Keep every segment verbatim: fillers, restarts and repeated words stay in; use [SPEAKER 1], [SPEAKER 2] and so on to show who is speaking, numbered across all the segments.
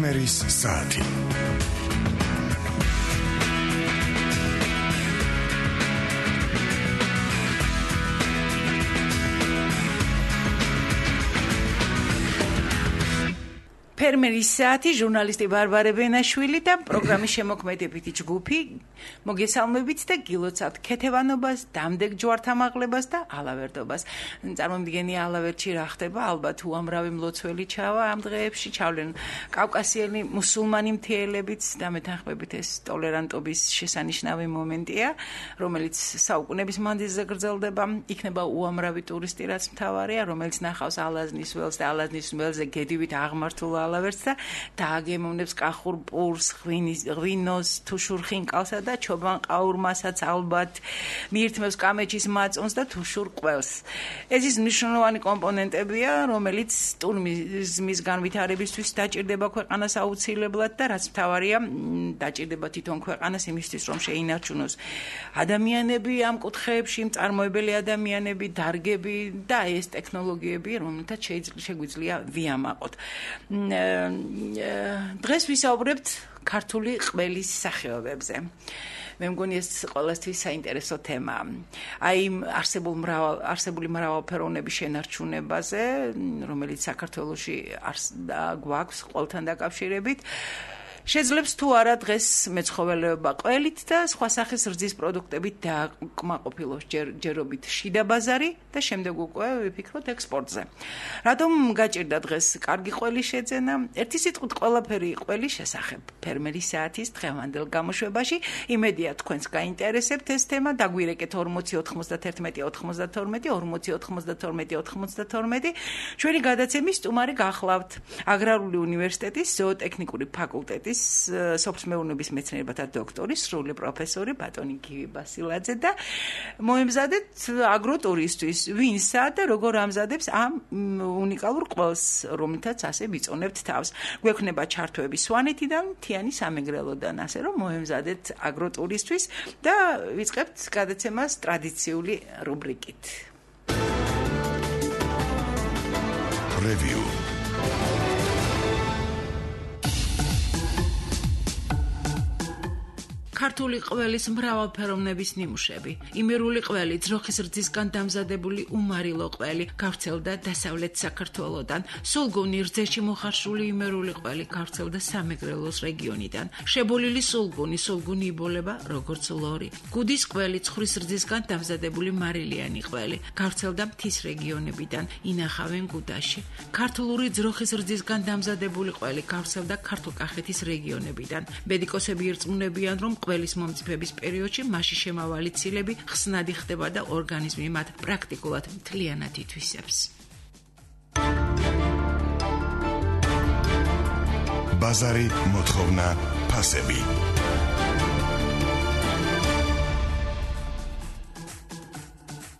[SPEAKER 1] ფერმერის საათი.
[SPEAKER 2] ფერმერის საათი, ჟურნალისტი ბარბარე ბენაშვილი და პროგრამის შემოქმედებითი ჯგუფი მოგესალმებით და გილოცავთ ქეთევანობას, დამდეგ ჯვართამაღლებას და ალავერდობას. წარმომიდგენია ალავერდში რა ხდება, ალბათ უამრავი მლოცველი ჩავა ამ დღეებში, ჩავლენ კავკასიელი მუსულმანი მთიელებიც და მეთანხმებით ეს ტოლერანტობის შესანიშნავი მომენტია, რომელიც საუკუნეების მანძილზე გრძელდება, იქნება უამრავი ტურისტი, რაც მთავარია, რომელიც ნახავს ალაზნის ველს და ალაზნის ველზე გედივით აღმართულ ალავერდს და დააგემოვნებს კახურ პურს, ღვინოს, თუშურ ხინკალსა და ჩობან ყაურმასაც ალბათ მიირთმევს კამეჩის მაწონს და თუშურ ყველს. ეს ის მნიშვნელოვანი კომპონენტებია, რომელიც ტურიზმის განვითარებისთვის დაჭირდება ქვეყანას აუცილებლად და რაც მთავარია, დაჭირდება თვითონ ქვეყანას იმისთვის, რომ შეინარჩუნოს ადამიანები ამ კუთხეებში, მწარმოებელი ადამიანები, დარგები და ეს ტექნოლოგიები, რომელთაც შეგვიძლია ვიამაყოთ. დღეს ვისაუბრებთ ქართული ყველის სახეობებზე. მე მგონი ეს ყველასთვის საინტერესო თემაა. აი არსებულ მრავალ არსებული მრავალფეროვნების შენარჩუნებაზე, რომელიც საქართველოში გვაქვს ყველთან დაკავშირებით. შეძლებს თუ არა დღეს მეცხოველეობა ყველით და სხვა სახის რძის პროდუქტებით დააკმაყოფილოს ჯერობით შიდა ბაზარი და შემდეგ უკვე ვიფიქროთ ექსპორტზე. რატომ გაჭირდა დღეს კარგი ყველის შეძენა? ერთი სიტყვით ყველაფერი ყველის შესახებ ფერმერის საათის დღევანდელ გამოშვებაში. იმედია თქვენს გაინტერესებთ ეს თემა. დაგვირეკეთ ორმოცი ოთხმოცდათერთმეტი ოთხმოცდათორმეტი ორმოცი ოთხმოცდათორმეტი ოთხმოცდათორმეტი. ჩვენი გადაცემის სტუმარი გახლავთ აგრარული უნივერსიტეტის ზოოტექნიკური ფაკულტეტის სოფლმეურნეობის მეცნიერებათა დოქტორი, სრული პროფესორი ბატონი გივი ბასილაძე და მოემზადეთ აგროტურისთვის, ვინსა და როგორ ამზადებს ამ უნიკალურ ყველს, რომელთაც ასე ვიწონებთ თავს. გვექნება ჩართვები სვანეთიდან, თიანი სამეგრელოდან, ასე რომ მოემზადეთ აგროტურისთვის და ვიწყებთ გადაცემას ტრადიციული რუბრიკით.
[SPEAKER 1] Review.
[SPEAKER 2] ქართული ყველის მრავალფეროვნების ნიმუშები. იმერული ყველი, ძროხის რძისგან დამზადებული უმარილო ყველი, გავრცელდა დასავლეთ საქართველოდან. სულგუნი რძეში მოხარშული იმერული ყველი, გავრცელდა სამეგრელოს რეგიონიდან. შებოლილი სულგუნი, სულგუნი იბოლება როგორც ლორი. გუდის ყველი, ცხრის რძისგან დამზადებული მარილიანი ყველი, გავრცელდა მთის რეგიონებიდან, ინახავენ გუდაში. ქართული ძროხის რძისგან დამზადებული ყველი, გავრცელდა ქართლ-კახეთის რეგიონებიდან. მედიკოსები ირწმუნებიან, რომ ყველის მომწიფების პერიოდში მასში შემავალი ცილები ხსნადი ხდება და ორგანიზმი მათ პრაქტიკულად მთლიანად ითვისებს.
[SPEAKER 1] ბაზარი, მოთხოვნა, ფასები.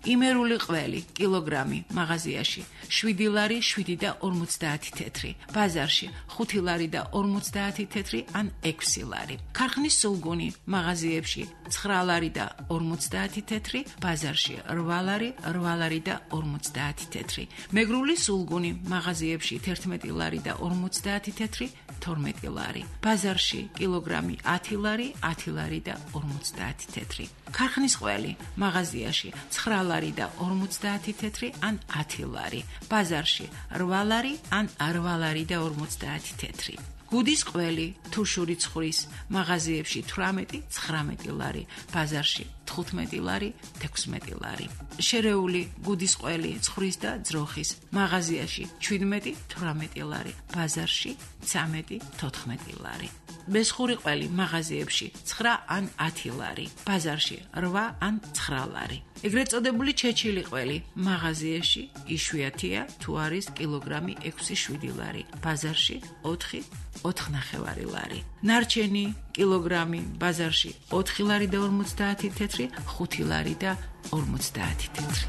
[SPEAKER 2] იმერული ყველი, კილოგრამი, მაღაზიაში შვიდი ლარი, შვიდი და ორმოცდაათი თეთრი, ბაზარში ხუთი ლარი და ორმოცდაათი თეთრი ან ექვსი ლარი. ქარხნის სულგუნი, მაღაზიებში ცხრა ლარი და ორმოცდაათი თეთრი, ბაზარში რვა ლარი, რვა ლარი და ორმოცდაათი თეთრი. მეგრული სულგუნი, მაღაზიებში თერთმეტი ლარი და ორმოცდაათი თეთრი, თორმეტი ლარი. ბაზარში კილოგრამი ათი ლარი, ათი ლარი და ორმოცდაათი თეთრი. ქარხნის ყველი, მაღაზიაში ცხრა ლარი და ორმოცდაათი თეთრი ან ათი ლარი. ბაზარში რვა ლარი ან რვა ლარი და ორმოცდაათი თეთრი. გუდის ყველი, თუშური ცხრის, მაღაზიებში თვრამეტი, ცხრამეტი ლარი, ბაზარში თხუთმეტი ლარი, თექვსმეტი ლარი. შერეული გუდის ყველი, ცხრის და ძროხის, მაღაზიაში შვიდმეტი, თვრამეტი ლარი, ბაზარში ცამეტი, თოთხმეტი ლარი. მესხური ყველი, მაღაზიებში ცხრა ან ათი ლარი, ბაზარში რვა ან ცხრა ლარი. ეგრეთ წოდებული ჩეჩილი ყველი, მაღაზიაში იშვიათია, თუ არის კილოგრამი ექვსი შვიდი ლარი, ბაზარში ოთხი ოთხნახევარი ლარი. ნარჩენი კილოგრამი, ბაზარში ოთხი ლარი და ორმოცდაათი თეთრი, ხუთი ლარი და ორმოცდაათი თეთრი.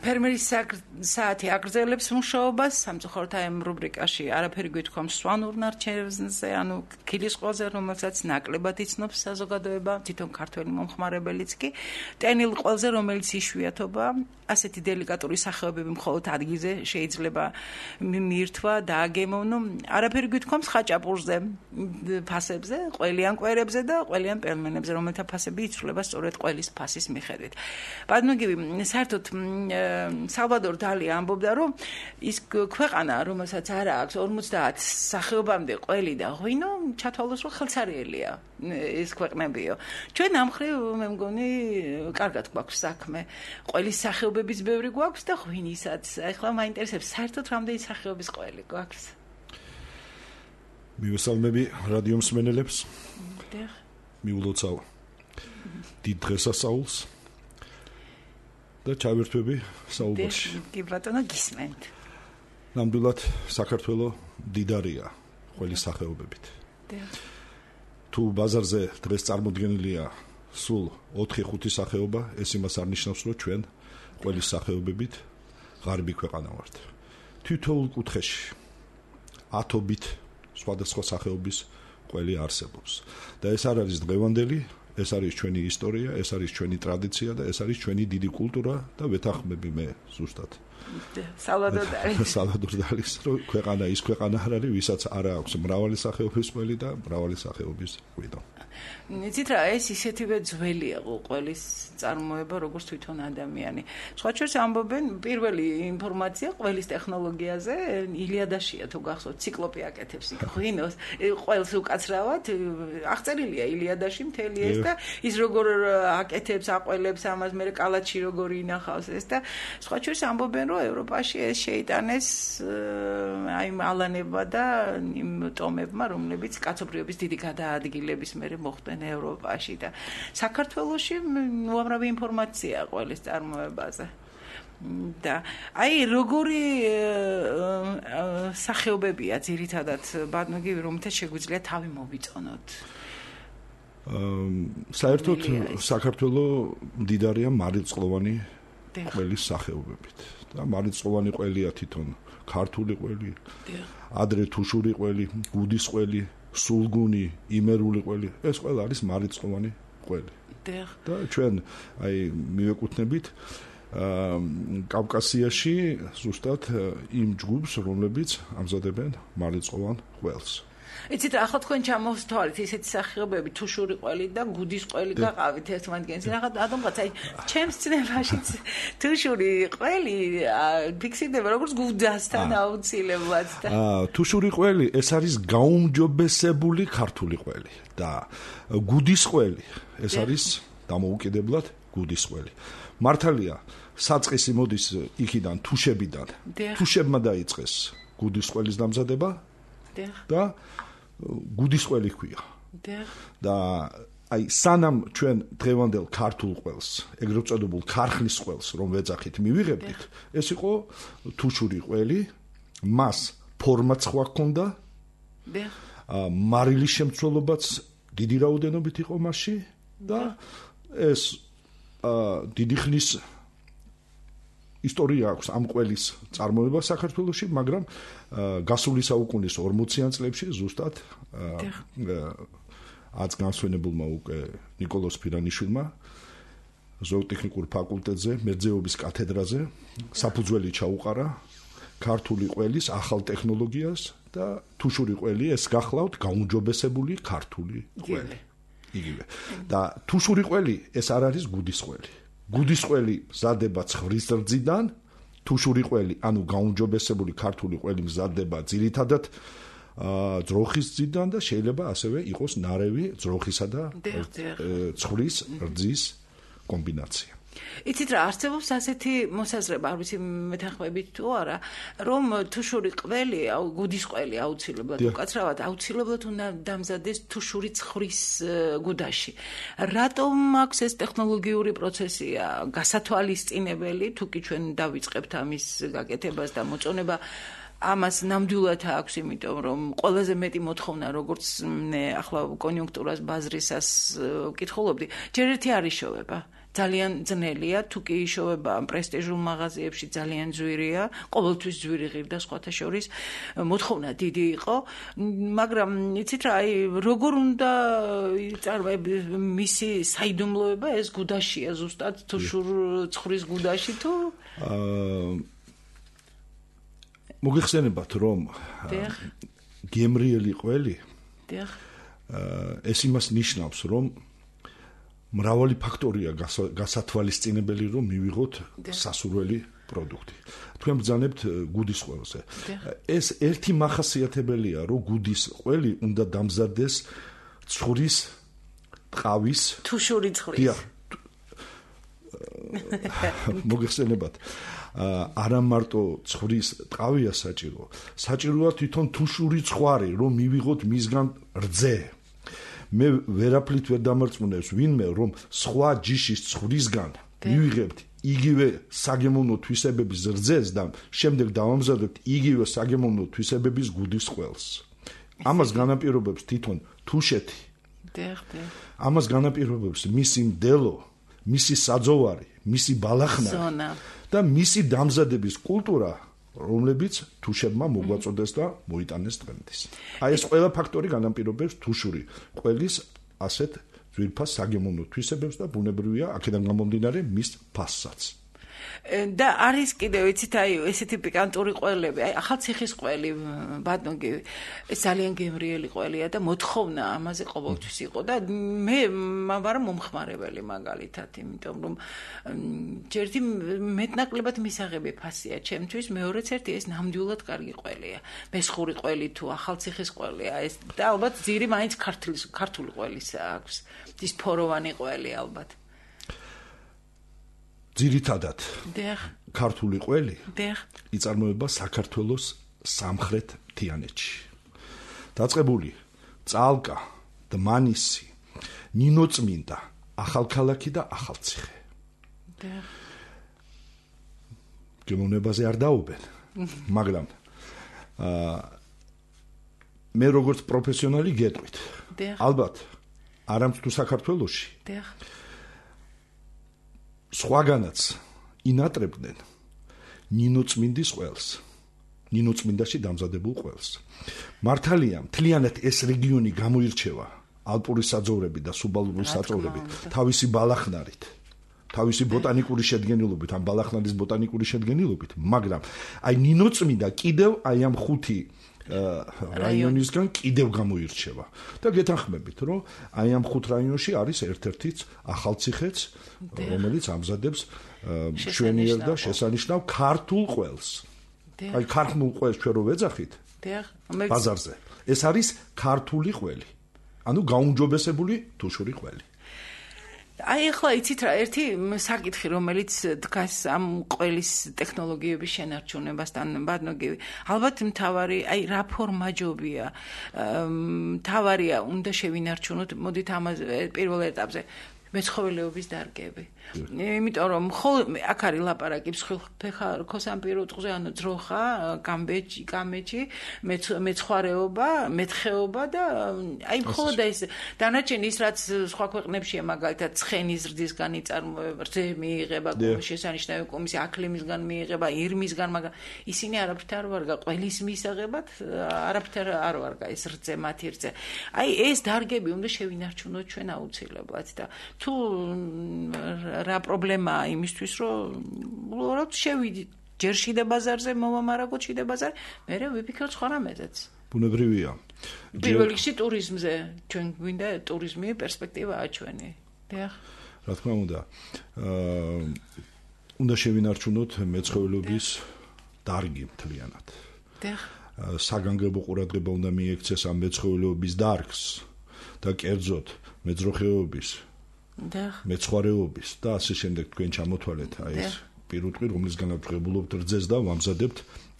[SPEAKER 2] ფერმერის საათი აგრძელებს მუშაობას სამწუხაროდ აი ამ რუბრიკაში არაფერი გვითქვამს სვანურ ნარჩენებზე, ანუ ქილის ყველაზე რომელსაც ნაკლებად იცნობს საზოგადოება, თვითონ ქართველი მომხმარებელიც კი, ტენილ ყველაზე რომელიც იშვიათობა, ასეთი დელიკატური სახეობები მხოლოდ ადგილზე შეიძლება მიირთვა და აგემოვნო, არაფერი გვითქვამს ხაჭაპურზე, ფასებზე, ყველიან კვერებზე და ყველიან პელმენებზე, რომელთა ფასები იცვლება სწორედ ყველის ფასის მიხედვით. ბადმოგივი, საერთოდ სალვადორ დალი ამბობდა, რომ ის ქვეყანა, რომელსაც არ აქვს ორმოცდაათ სახეობამდე ყველი და ღვინო, ჩათვალოს რომ ხელცარიელია ეს ქვეყნებიო. ჩვენ ამ მხრივ მე მგონი კარგად გვაქვს საქმე. ყველის სახეობების ბევრი გვაქვს და ღვინისაც. ახლა მაინტერესებს საერთოდ რამდენი სახეობის ყველი გვაქვს?
[SPEAKER 3] მივესალმები რადიო მსმენელებს.
[SPEAKER 2] დიახ.
[SPEAKER 3] მიულოცავ დიდ დღესასწაულს. და ჩავერთვები საუბარში.
[SPEAKER 2] კი ბატონო, გისმენთ.
[SPEAKER 3] ნამდვილად საქართველო დიდარია ყველის სახეობებით. თუ ბაზარზე დღეს წარმოდგენილია სულ ოთხი ხუთი სახეობა, ეს იმას არ ნიშნავს, რომ ჩვენ ყველის სახეობებით ღარიბი ქვეყანა ვართ. თითოეულ კუთხეში ათობით სხვადასხვა სახეობის ყველი არსებობს. და ეს არ არის დღევანდელი, ეს არის ჩვენი ისტორია, ეს არის ჩვენი ტრადიცია და ეს არის ჩვენი დიდი კულტურა და ვეთანხმები მე ზუსტად.
[SPEAKER 2] სალვადორ დალის.
[SPEAKER 3] სალვადორ დალის, რომ ქვეყანა ის ქვეყანა არ არის, ვისაც არ აქვს მრავალი სახეობის ყველი და მრავალი სახეობის ღვინო.
[SPEAKER 2] იცით რა, ეს ისეთივე ძველია ყველის წარმოება, როგორც თვითონ ადამიანი. სხვა შორის ამბობენ პირველი ინფორმაცია ყველის ტექნოლოგიაზე ილიადაშია, თუ გახსოვთ, ციკლოპი აკეთებს იქ ღვინოს, ყველს უკაცრავად აღწერილია ილიადაში მთელი ეს და ის როგორ აკეთებს, აყოლებს ამას, მე კალათში როგორ ინახავს ეს და სხვა შორის ამბობენ, რომ ევროპაში ეს შეიტანეს აი ალანება და იმ ტომებმა, რომლებიც კაცობრიობის დიდი გადაადგილების მერე მოხდნენ ევროპაში და საქართველოში უამრავი ინფორმაცია ყველის წარმოებაზე. და აი როგორი სახეობებია ძირითადად ბადმოგივი, რომელთა შეგვიძლია თავი მოვიწონოთ?
[SPEAKER 3] საერთოდ საქართველო მდიდარია მარილწყლოვანი ყველის სახეობებით. და მარილწყლოვანი ყველია თვითონ ქართული ყველი, ადრე თუშური ყველი, გუდის ყველი, სულგუნი, იმერული ყველი, ეს ყველა არის მარილწყლოვანი ყველი. და ჩვენ აი მივეკუთვნებით კავკასიაში ზუსტად იმ ჯგუფს, რომლებიც ამზადებენ მარილწყლოვან ყველს.
[SPEAKER 2] იცით რა, ახლა თქვენ ჩამოვთვალეთ ისეთი სახეობები, თუშური ყველი და გუდის ყველი გაყავით ერთმანეთს. ახლა ადამიანს აი ჩემს ცნებაშიც თუშური ყველი ფიქსირდება როგორც გუდასთან აუცილებლად და
[SPEAKER 3] აა თუშური ყველი ეს არის გაუმჯობესებული ქართული ყველი და გუდის ყველი ეს არის დამოუკიდებლად გუდის ყველი. მართალია, საწყისი მოდის იქიდან თუშებიდან. თუშებმა დაიწყეს გუდის ყველის დამზადება და გუდის ყველი ქვია. და აი სანამ ჩვენ დღევანდელ ქართულ ყველს, ეგრეთ წოდებულ ქარხნის ყველს რომ ვეძახით, მივიღებდით, ეს იყო თუშური ყველი, მას ფორმაც სხვა ჰქონდა. მარილის შემცველობაც დიდი რაოდენობით იყო მასში და ეს დიდი ხნის ისტორია აქვს ამ ყველის წარმოება საქართველოში, მაგრამ გასული საუკუნის ორმოციან წლებში ზუსტად აც განსვენებულმა უკვე ნიკოლოზ ფირანიშვილმა ზოოტექნიკურ ფაკულტეტზე, მერძეობის კათედრაზე საფუძველი ჩაუყარა ქართული ყველის ახალ ტექნოლოგიას და თუშური ყველი ეს გახლავთ გაუმჯობესებული ქართული ყველი. იგივე. და თუშური ყველი ეს არ არის გუდის ყველი. გუდის ყველი მზადდება ცხვრის რძიდან, თუშური ყველი, ანუ გაუმჯობესებული ქართული ყველი მზადდება ძირითადად ძროხის რძიდან და შეიძლება ასევე იყოს ნარევი ძროხისა და ცხვრის რძის კომბინაცია.
[SPEAKER 2] იცით რა, არსებობს ასეთი მოსაზრება, არ ვიცი მეთანხმებით თუ არა, რომ თუშური ყველი, გუდის ყველი აუცილებლად უკაცრავად აუცილებლად უნდა დამზადდეს თუშური ცხვრის გუდაში. რატომ აქვს ეს ტექნოლოგიური პროცესია გასათვალისწინებელი, თუ კი ჩვენ დავიწყებთ ამის გაკეთებას და მოწონება ამას ნამდვილად აქვს, იმიტომ რომ ყველაზე მეტი მოთხოვნა, როგორც ახლა კონიუნქტურას ბაზრისას ვკითხულობდი, ჯერ ერთი არ იშოვება. ძალიან ძნელია, თუ კი იშოვება პრესტიჟულ მაღაზიებში ძალიან ძვირია, ყოველთვის ძვირი ღირდა სხვათა შორის, მოთხოვნა დიდი იყო, მაგრამ იცით რა, აი როგორ უნდა იწარმოებდეს მისი საიდუმლოება ეს გუდაშია ზუსტად თუ შურ ცხრის გუდაში თუ
[SPEAKER 3] მოგიხსენებათ რომ გემრიელი ყველი
[SPEAKER 2] დიახ
[SPEAKER 3] ეს იმას ნიშნავს რომ მრავალი ფაქტორია გასათვალისწინებელი რომ მივიღოთ სასურველი პროდუქტი. თქვენ ბრძანებთ გუდის ყველზე. ეს ერთი მახასიათებელია, რომ გუდის ყველი უნდა დამზადდეს ცხრის ტყავის
[SPEAKER 2] თუ შური ცხრის.
[SPEAKER 3] დიახ. მოგიხსენებათ არა მარტო ცხრის ტყავია საჭირო, საჭიროა თვითონ თუშური ცხარი, რომ მივიღოთ მისგან რძე. მე ვერაფრით ვერ დამარწმუნებს ვინმე რომ სხვა ჯიშის ცხვრისგან მივიღებთ იგივე საგემოვნო თვისებების რძეს და შემდეგ დავამზადებთ იგივე საგემოვნო თვისებების გუდის ყველს. ამას განაპირობებს თვითონ თუშეთი. ამას განაპირობებს მისი მდელო, მისი საძოვარი, მისი ბალახნარი და მისი დამზადების კულტურა, რომლებიც თუშებმა მოგვაწოდეს და მოიტანეს დღემდე. აი ეს ყველა ფაქტორი განაპირობებს თუშური ყველის ასეთ ძვირფას საგემოვნო თვისებებს და ბუნებრივია აქედან გამომდინარე მის ფასსაც.
[SPEAKER 2] და არის კიდევ იცით აი ესეთი პიკანტური ყველები, აი ახალციხის ყველი, ბატონგი, ეს ძალიან გემრიელი ყველია და მოთხოვნა ამაზე ყოველთვის იყო და მე ვარ მომხმარებელი მაგალითად, იმიტომ რომ ჯერდი მეტნაკლებად მისაღები ფასია ჩემთვის, მეორეც ერთი ეს ნამდვილად კარგი ყველია. მესხური ყველი თუ ახალციხის ყველია ეს და ალბათ ძირი მაინც ქართლის ქართული ყველის აქვს. ის ფოროვანი ყველი ალბათ. ძირითადად ქართული ყველი იწარმოება საქართველოს სამხრეთ მთიანეთში. დაწყებული წალკა, დმანისი, ნინოწმინდა, ახალქალაქი და ახალციხე. გემოვნებაზე არ დაუბენ, მაგრამ მე როგორც პროფესიონალი გეტყვით. ალბათ არამც თუ საქართველოში სხვაგანაც ინატრებდნენ ნინოწმინდის ყველს, ნინოწმინდაში დამზადებულ ყველს. მართალია, მთლიანად ეს რეგიონი გამოირჩევა ალპური საძოვრებით და სუბალპური საძოვრებით, თავისი ბალახნარით, თავისი ბოტანიკური შედგენილობით, ამ ბალახნარის ბოტანიკური შედგენილობით, მაგრამ აი ნინოწმინდა კიდევ აი ამ ხუთი რაიონისგან კიდევ გამოირჩევა. და გეთანხმებით, რომ აი ამ ხუთ რაიონში არის ერთ-ერთიც ახალციხეც, რომელიც ამზადებს მშვენიერ და შესანიშნავ ქართულ ყველს. აი ქართულ ყველს ჩვენ რო ვეძახით ბაზარზე. ეს არის ქართული ყველი. ანუ გაუმჯობესებული თუშური ყველი. აი ახლა იცით რა, ერთი საკითხი, რომელიც დგას ამ ყველის ტექნოლოგიების შენარჩუნებასთან, ბატონო, ალბათ მთავარი, აი რა ფორმაჯობია, მთავარია უნდა შევინარჩუნოთ, მოდით ამაზე პირველ ეტაპზე მეცხოველეობის დარგები. იმიტომ რომ აქ არის ლაპარაკი მსხვილფეხა რქოსამპირო ტყზე, ანუ ძროხა, გამბეჭი, კამეჭი, მეცხვარეობა, მეთხეობა და აი მხოლოდ ეს დანარჩენი ის რაც სხვა ქვეყნებშია, მაგალითად ცხენის ზრდისგან იწარმოება, რძე მიიღება, შესანიშნავი კომისია აქლემისგან მიიღება, ირმისგან, მაგრამ ისინი არაფრით არ ვარგა ყველის მისაღებად, არაფრით არ ვარგა ეს რძე, მათი რძე. აი ეს დარგები უნდა შევინარჩუნოთ ჩვენ აუცილებლად და თუ რა პრობლემაა იმისთვის, რომ უბრალოდ შევიდით ჯერ შიდა ბაზარზე, მოვამარაგოთ შიდა ბაზარი, მერე ვიფიქროთ სხვა რამეზეც. ბუნებრივია. პირველ რიგში ტურიზმზე, ჩვენ გვინდა ტურიზმი პერსპექტივაა ჩვენი. დიახ. რა თქმა უნდა. აა უნდა შევინარჩუნოთ მეცხოველეობის დარგი მთლიანად. დიახ. საგანგებო ყურადღება უნდა მიექცეს ამ მეცხოველეობის დარგს და კერძოდ მეძროხეობის მეცხვარეობის და ასე შემდეგ თქვენ ჩამოთვალეთ აი ეს პირუტყვი, რომლისგანაც ღებულობთ რძეს და ვამზადებთ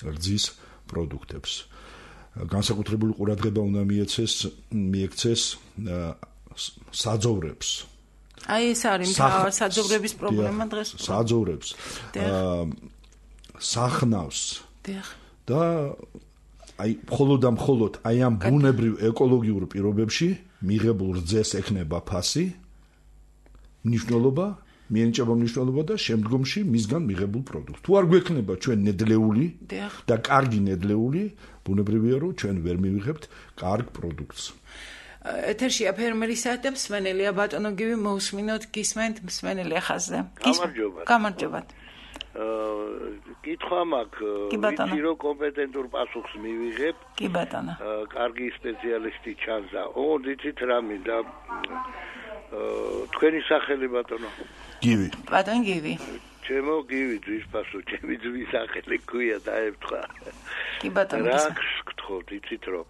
[SPEAKER 2] რძის პროდუქტებს. განსაკუთრებული ყურადღება უნდა მიეცეს მიექცეს საძოვრებს. აი ეს არის მთავარი საძოვრების პრობლემა დღეს. საძოვრებს. სახნავს. და აი მხოლოდ და მხოლოდ აი ამ ბუნებრივ ეკოლოგიურ პირობებში მიღებულ რძეს ექნება ფასი, მნიშვნელობა
[SPEAKER 3] მიენიჭება მნიშვნელობა და შემდგომში მისგან მიღებულ პროდუქტს. თუ არ გვექნება ჩვენ ნედლეული და კარგი ნედლეული, ბუნებრივია რომ ჩვენ ვერ მივიღებთ კარგ პროდუქტს.
[SPEAKER 2] ეთერშია ფერმერის საათი მსმენელია ბატონო გივი მოусმინოთ გისმენთ მსმენელია ხაზზე.
[SPEAKER 4] გამარჯობა.
[SPEAKER 2] გამარჯობა.
[SPEAKER 4] კითხვა მაქვს, ვიცი რომ კომპეტენტურ პასუხს მივიღებ.
[SPEAKER 2] კი ბატონო.
[SPEAKER 4] კარგი სპეციალისტი ჩანს. ო, დიცით რა მინდა. თქვენი სახელი ბატონო?
[SPEAKER 3] გივი.
[SPEAKER 2] ბატონ გივი.
[SPEAKER 4] ჩემო გივი ძვის პასუხი, ჩემი ძვის სახელი ქვია დაემთხვა.
[SPEAKER 2] კი ბატონო.
[SPEAKER 4] რა გთხოვთ, იცით რომ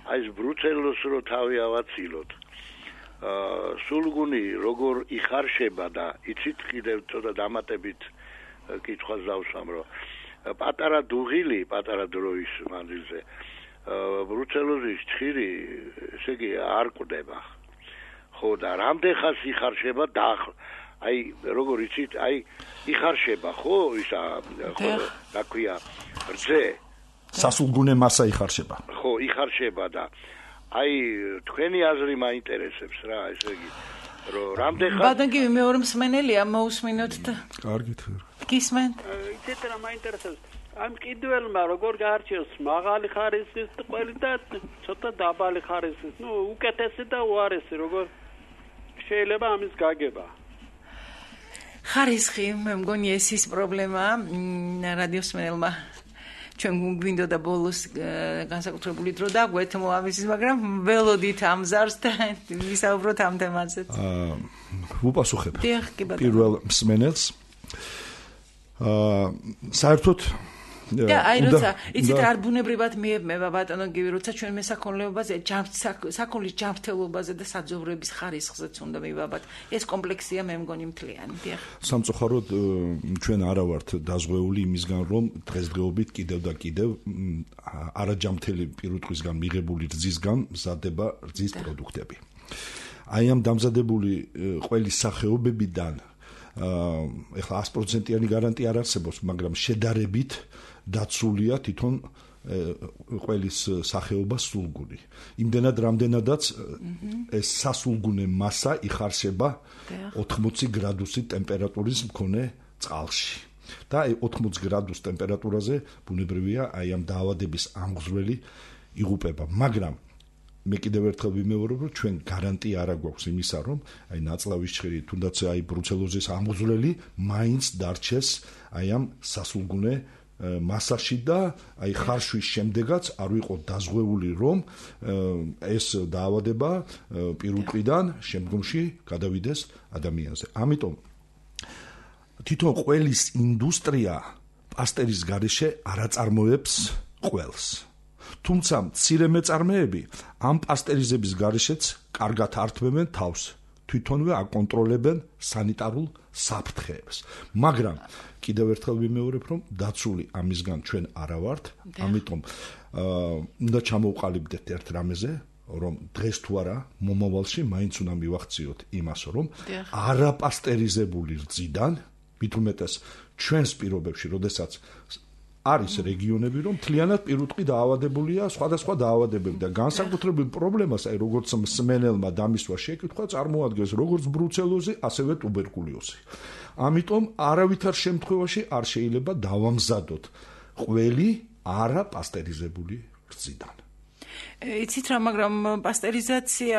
[SPEAKER 4] აი ეს ბრუცელოს რო თავი ავაცილოთ. აა სულგუნი როგორ იხარშება და იცით კიდევ ცოტა დამატებით კითხვას დავსვამ რომ პატარა დუღილი, პატარა დროის მანძილზე ბრუცელოზის ჭხირი, ესე იგი არ ყვდება. ხო და რამდენ ხანს იხარშება და აი როგორ იცით, აი იხარშება ხო ისა ხო რა ქვია რძე
[SPEAKER 3] სასულგუნე მასა იხარშება.
[SPEAKER 4] ხო, იხარშება და აი თქვენი აზრი მაინტერესებს რა, ესე იგი რომ რამდენ ხანს
[SPEAKER 2] ბატონ გივი მეორე მსმენელია მოусმინოთ და
[SPEAKER 3] კარგით.
[SPEAKER 2] გისმენთ?
[SPEAKER 5] იცით რა მაინტერესებს? ამ კიდველმა როგორ გაარჩიოს მაღალი ხარისხის ყველი და ცოტა დაბალი ხარისხის, ნუ უკეთესი და უარესი როგორ შეიძლება ამის გაგება?
[SPEAKER 2] ხარისხი მე მგონი ეს ის პრობლემაა რადიოს მსმენელმა ჩვენ გვინდოდა ბოლოს განსაკუთრებული დრო დაგვეთმო ამის, მაგრამ ველოდით ამზარს და ვისაუბროთ ამ თემაზეც.
[SPEAKER 3] აა ვუპასუხებ
[SPEAKER 2] პირველ
[SPEAKER 3] მსმენელს. აა საერთოდ
[SPEAKER 2] და აი როცა იცით რა ბუნებრივად მიებმება ბატონო გივი, როცა ჩვენ მესაქონლეობაზე, საქონლის ჯანმრთელობაზე და საძოვრების ხარისხზეც უნდა მივაბად. ეს კომპლექსია მე მგონი მთლიანი. დიახ.
[SPEAKER 3] სამწუხაროდ ჩვენ არა ვართ დაზღვეული იმისგან, რომ დღესდღეობით კიდევ და კიდევ არაჯანმრთელი პირუტყვისგან მიღებული რძისგან მზადდება რძის პროდუქტები. აი ამ დამზადებული ყველის სახეობებიდან ეხლა ათი პროცენტიანი გარანტია არ არსებობს, მაგრამ შედარებით დაცულია თვითონ ყველის სახეობა სულგუნი. იმდენად რამდენადაც ეს სასულგუნე მასა იხარშება ოთხმოცი გრადუსი ტემპერატურის მქონე წყალში. და აი ოთხმოცი გრადუს ტემპერატურაზე ბუნებრივია აი ამ დაავადების ამღვრელი იღუპება, მაგრამ მე კიდევ ერთხელ ვიმეორებ, რომ ჩვენ გარანტია არ აქვს იმისა, რომ აი ნაწლავის ჭხირი, თუნდაც აი ბრუცელოზის ამღვრელი მაინც დარჩეს აი ამ სასულგუნე მასაში და აი ხარშვის შემდეგაც არ ვიყო დაზღვეული, რომ ეს დაავადება პირუტყვიდან შემდგომში გადავიდეს ადამიანზე. ამიტომ თვითონ ყველის ინდუსტრია პასტერის გარეშე არ აწარმოებს ყველს. თუმცა მცირე მეწარმეები ამ პასტერიზების გარეშეც კარგად ართმევენ თავს, თვითონვე აკონტროლებენ სანიტარულ საფრთხეებს. მაგრამ კიდევ ერთხელ ვიმეორებ, რომ დაცული ამისგან ჩვენ არა ვართ, ამიტომ უნდა ჩამოვყალიბდეთ ერთ რამეზე, რომ დღეს თუ არა მომავალში მაინც უნდა მივახციოთ იმას, რომ არაპასტერიზებული რძიდან, მით უმეტეს ჩვენს პირობებში, როდესაც არის რეგიონები, რომ მთლიანად პირუტყვი დაავადებულია სხვადასხვა დაავადებები და განსაკუთრებულ პრობლემას, აი როგორც მსმენელმა დამისვა შეკითხვა, წარმოადგენს როგორც ბრუცელოზი, ასევე ტუბერკულოზი. ამიტომ არავითარ შემთხვევაში არ შეიძლება დავამზადოთ ყველი არაპასტერიზებული რძიდან.
[SPEAKER 2] იცით რა, მაგრამ პასტერიზაცია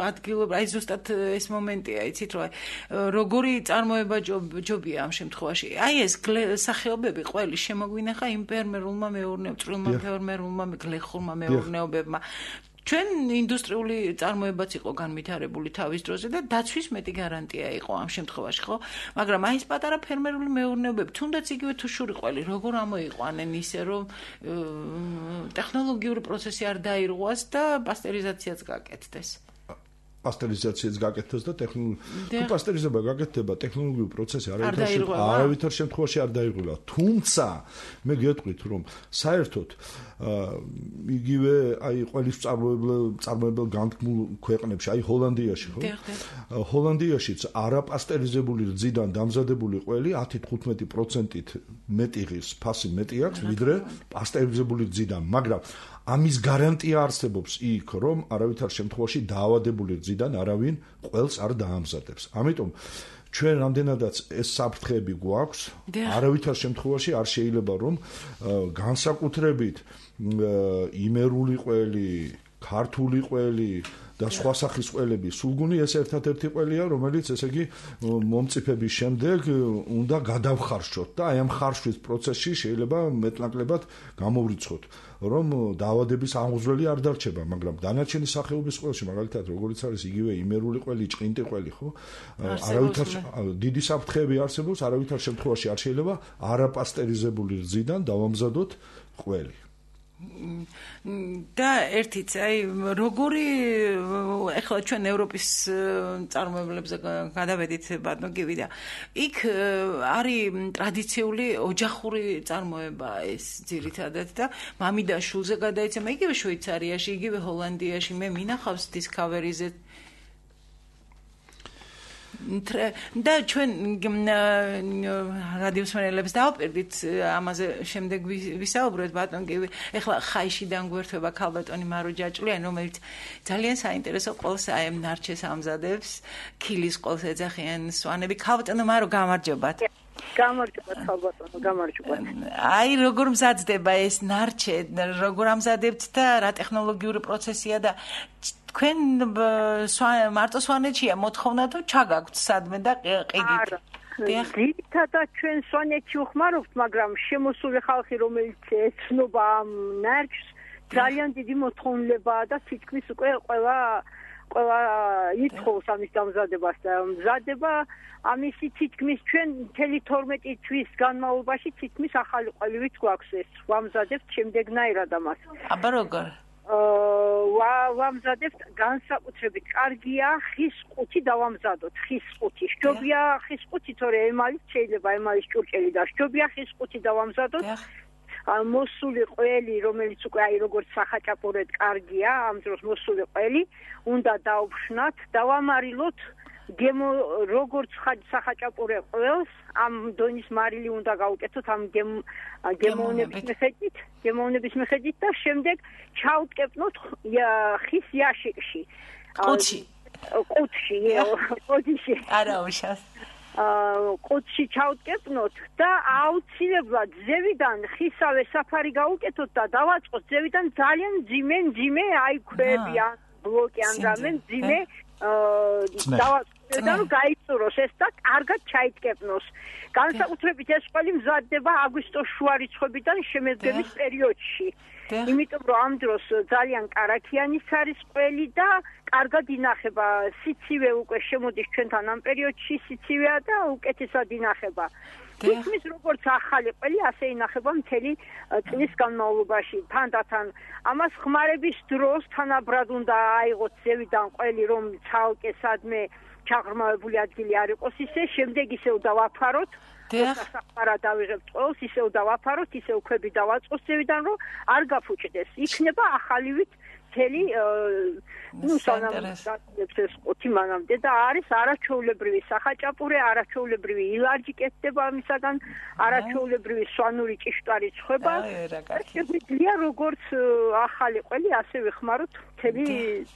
[SPEAKER 2] ადგილობრივ, აი ზუსტად ეს მომენტია, იცით რა, როგორი წარმოება ჯობია ამ შემთხვევაში. აი ეს სახეობები ყველი შემოგვინახა იმ ფერმერულმა მეურნეობ, წვრილმა ფერმერულმა, გლეხურმა მეურნეობებმა. ჩვენ ინდუსტრიული წარმოებაც იყო განვითარებული თავის დროზე და დაცვის მეტი გარანტია იყო ამ შემთხვევაში, ხო? მაგრამ აი ეს პატარა ფერმერული მეურნეობები, თუნდაც იგივე თუ შური ყველი, როგორ ამოიყვანენ ისე, რომ ტექნოლოგიური პროცესი არ დაირღვას და პასტერიზაციაც გაკეთდეს.
[SPEAKER 3] პასტერიზაციაც გაკეთდეს და ტექნოლოგიური თუ პასტერიზება გაკეთდება, ტექნოლოგიური პროცესი არავითარ შემთხვევაში არ დაირღვა. თუმცა მე გეტყვით, რომ საერთოდ იგივე აი ყველის წარმოებელ განთქმულ ქვეყნებში, აი ჰოლანდიაში, ხო? ჰოლანდიაშიც არაპასტერიზებული რძიდან დამზადებული ყველი ათი თხუთმეტი პროცენტით მეტი ღირს, ფასი მეტი აქვს, ვიდრე პასტერიზებული რძიდან, მაგრამ ამის გარანტია არსებობს იქ, რომ არავითარ შემთხვევაში დაავადებული რძიდან არავინ ყველს არ დაამზადებს. ამიტომ ჩვენ რამდენადაც ეს საფრთხეები გვაქვს, არავითარ შემთხვევაში არ შეიძლება რომ განსაკუთრებით იმერული ყველი, ქართული ყველი და სხვა სახის ყველები სულგუნი ეს ერთადერთი ყველია, რომელიც ესე იგი მომწიფების შემდეგ უნდა გადავხარშოთ და აი ამ ხარშვის პროცესში შეიძლება მეტნაკლებად გამოვრიცხოთ, რომ დაავადების აღუძვრელი არ დარჩება, მაგრამ დანარჩენი სახეობის ყველში, მაგალითად, როგორც არის იგივე იმერული ყველი, ჭყინტი ყველი, ხო? არავითარ დიდი საფრთხეები არსებობს, არავითარ შემთხვევაში არ შეიძლება არაპასტერიზებული რძიდან დავამზადოთ ყველი.
[SPEAKER 2] და ერთიც აი როგორი ეხლა ჩვენ ევროპის წარმოებლებზე გადავედით ბატონო გივი და იქ არის ტრადიციული ოჯახური წარმოება ეს ძირითადად და მამი და შულზე გადაეცემა იგივე შვეიცარიაში, იგივე ჰოლანდიაში მე მინახავს Discovery-ზე და ჩვენ რადიოსმენელებს დავაპირდით ამაზე შემდეგ ვისაუბროთ ბატონ გივი ეხლა ხაიშიდან გვერდება ქალბატონი მარო ჯაჭვლიანი რომელიც ძალიან საინტერესო ყოლს აი ამ ნარჩეს ამზადებს ქილის ყოლს ეძახიან სვანები ქალბატონო მარო გამარჯობათ
[SPEAKER 6] გამარჯობათ ქალბატონო გამარჯობათ
[SPEAKER 2] აი როგორ მზადდება ეს ნარჩე როგორ ამზადებთ და რა ტექნოლოგიური პროცესია და თქვენ მარტო სვანეთშია მოთხოვნა თუ ჩაგაქვთ სადმე და ყიდით?
[SPEAKER 6] ძირითადად ჩვენ სვანეთში ვხმარობთ, მაგრამ შემოსული ხალხი რომელიც ეცნობა ამ ნარჩს ძალიან დიდი მოთხოვნილებაა და თითქმის უკვე ყველა ყველა ითხოვს ამის დამზადებას და მზადება ამისი თითქმის ჩვენ მთელი თორმეტი თვის განმავლობაში თითქმის ახალი ყველივით გვაქვს ეს ვამზადებთ შემდეგნაირად ამას.
[SPEAKER 2] აბა როგორ?
[SPEAKER 6] აა ვამზადებთ განსაკუთრებით კარგია ხის ყუთი დავამზადოთ ხის ყუთი შჯობია ხის ყუთი თორე ემალის შეიძლება ემალის ჭურჭელი და შჯობია ხის ყუთი დავამზადოთ მოსული ყველი რომელიც უკვე აი როგორც სახაჭაპურეთ კარგია ამ დროს მოსული ყველი უნდა დავფშნათ დავამარილოთ გემო როგორც სახაჭაპურე ყველს ამ დონის მარილი უნდა გავუკეთოთ ამ გემოვნების მიხედვით გემოვნების მიხედვით და შემდეგ ჩავტკეპნოთ ხის იაშიკში
[SPEAKER 2] ყუთში
[SPEAKER 6] ყუთში ყუთში
[SPEAKER 2] არა უშავს
[SPEAKER 6] ყუთში ჩავტკეპნოთ და აუცილებლად ზევიდან ხისავე საფარი გავუკეთოთ და დავაწყოთ ზევიდან ძალიან ძიმე ძიმე აი ქვები ან ბლოკი ან რამე ძიმე დავაწყოთ და რომ გაიწუროს ეს და კარგად ჩაიტკეპნოს. განსაკუთრებით ეს ყველი მზადდება აგვისტოს შუა რიცხვებიდან შემედგომის პერიოდში. იმიტომ რომ ამ დროს ძალიან კარაქიანის არის ყველი და კარგად ინახება. სიცივე უკვე შემოდის ჩვენთან ამ პერიოდში სიცივეა და უკეთესად ინახება. თითქმის როგორც ახალი ყველი ასე ინახება მთელი წლის განმავლობაში. თანდათან ამას ხმარების დროს თანაბრად უნდა აიღოთ ზევიდან ყველი რომ ცალკე სადმე ჩაღრმავებული ადგილი არ იყოს ისე შემდეგ ისევ დავაფაროთ სახარა დავიღებთ ყველს ისევ დავაფაროთ ისევ ქვები დავაწყოთ ზევიდან რომ არ გაფუჭდეს იქნება ახალივით მთელი ნუ სანამ ეს ყუთი მანამდე და არის არაჩვეულებრივი სახაჭაპურე არაჩვეულებრივი ილარჯი კეთდება ამისაგან არაჩვეულებრივი სვანური ჭიშტარი ცხება შეგვიძლია როგორც ახალი ყველი ასე ვიხმაროთ მთელი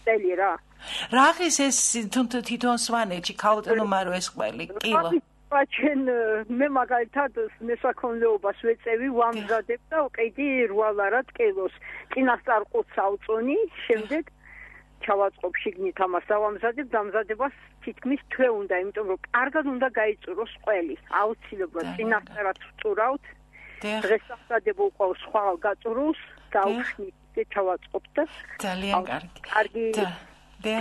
[SPEAKER 6] წელი რა
[SPEAKER 2] რაღის ეს თვითონ სვანეთში ქალბატონო მარო ეს ყველი კილო
[SPEAKER 6] ჩვენ მე მაგალითად მესაქონლეობას ვეწევი ვამზადებ და უკედი რვალარად კილოს წინასწარ ყუთს ავწონი შემდეგ ჩავაწყობ შიგნით ამას დავამზადებ დამზადებას თითქმის თვე უნდა იმიტომ რომ კარგად უნდა გაიწუროს ყველი აუცილებლად წინასწარად ვწურავთ დღეს ამზადებო ყავს სხვა გაწუროს დავხნით და ჩავაწყობ და
[SPEAKER 2] ძალიან კარგი
[SPEAKER 6] კარგი და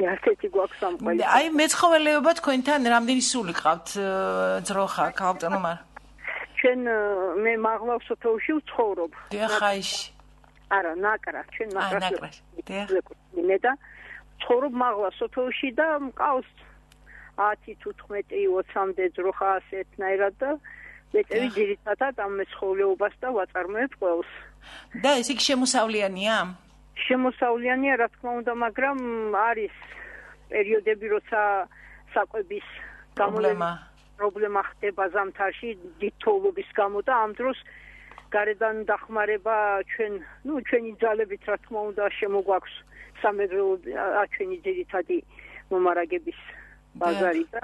[SPEAKER 6] ასეთი გვაქვს ამ ყველი.
[SPEAKER 2] აი მეცხოველეობა თქვენთან რამდენი სული ყავთ ძროხა ქალბატონო მარ?
[SPEAKER 6] ჩვენ მე მაღლა სოფელში ვცხოვრობ.
[SPEAKER 2] დიახაიში.
[SPEAKER 6] არა, ნაკრა, ჩვენ ნაკრაში.
[SPEAKER 2] დიახ.
[SPEAKER 6] მე და ვცხოვრობ მაღლა სოფელში და მყავს ათი თუ თხმეტი ოცამდე ძროხა ასეთნაირად და ვეწევი ძირითადად ამ მეცხოველეობას და ვაწარმოებ ყველს.
[SPEAKER 2] და ეს იქ შემოსავლიანია?
[SPEAKER 6] შემოსავლიანია რა თქმა უნდა, მაგრამ არის პერიოდები, როცა საკვების
[SPEAKER 2] პრობლემა
[SPEAKER 6] პრობლემა ხდება ზამთარში დიდ თოვლობის გამო და ამ დროს გარედან დახმარება ჩვენ, ნუ ჩვენი ძალებით რა თქმა უნდა შემოგვაქვს სამეგრელო ჩვენი ძირითადი მომარაგების ბაზარი და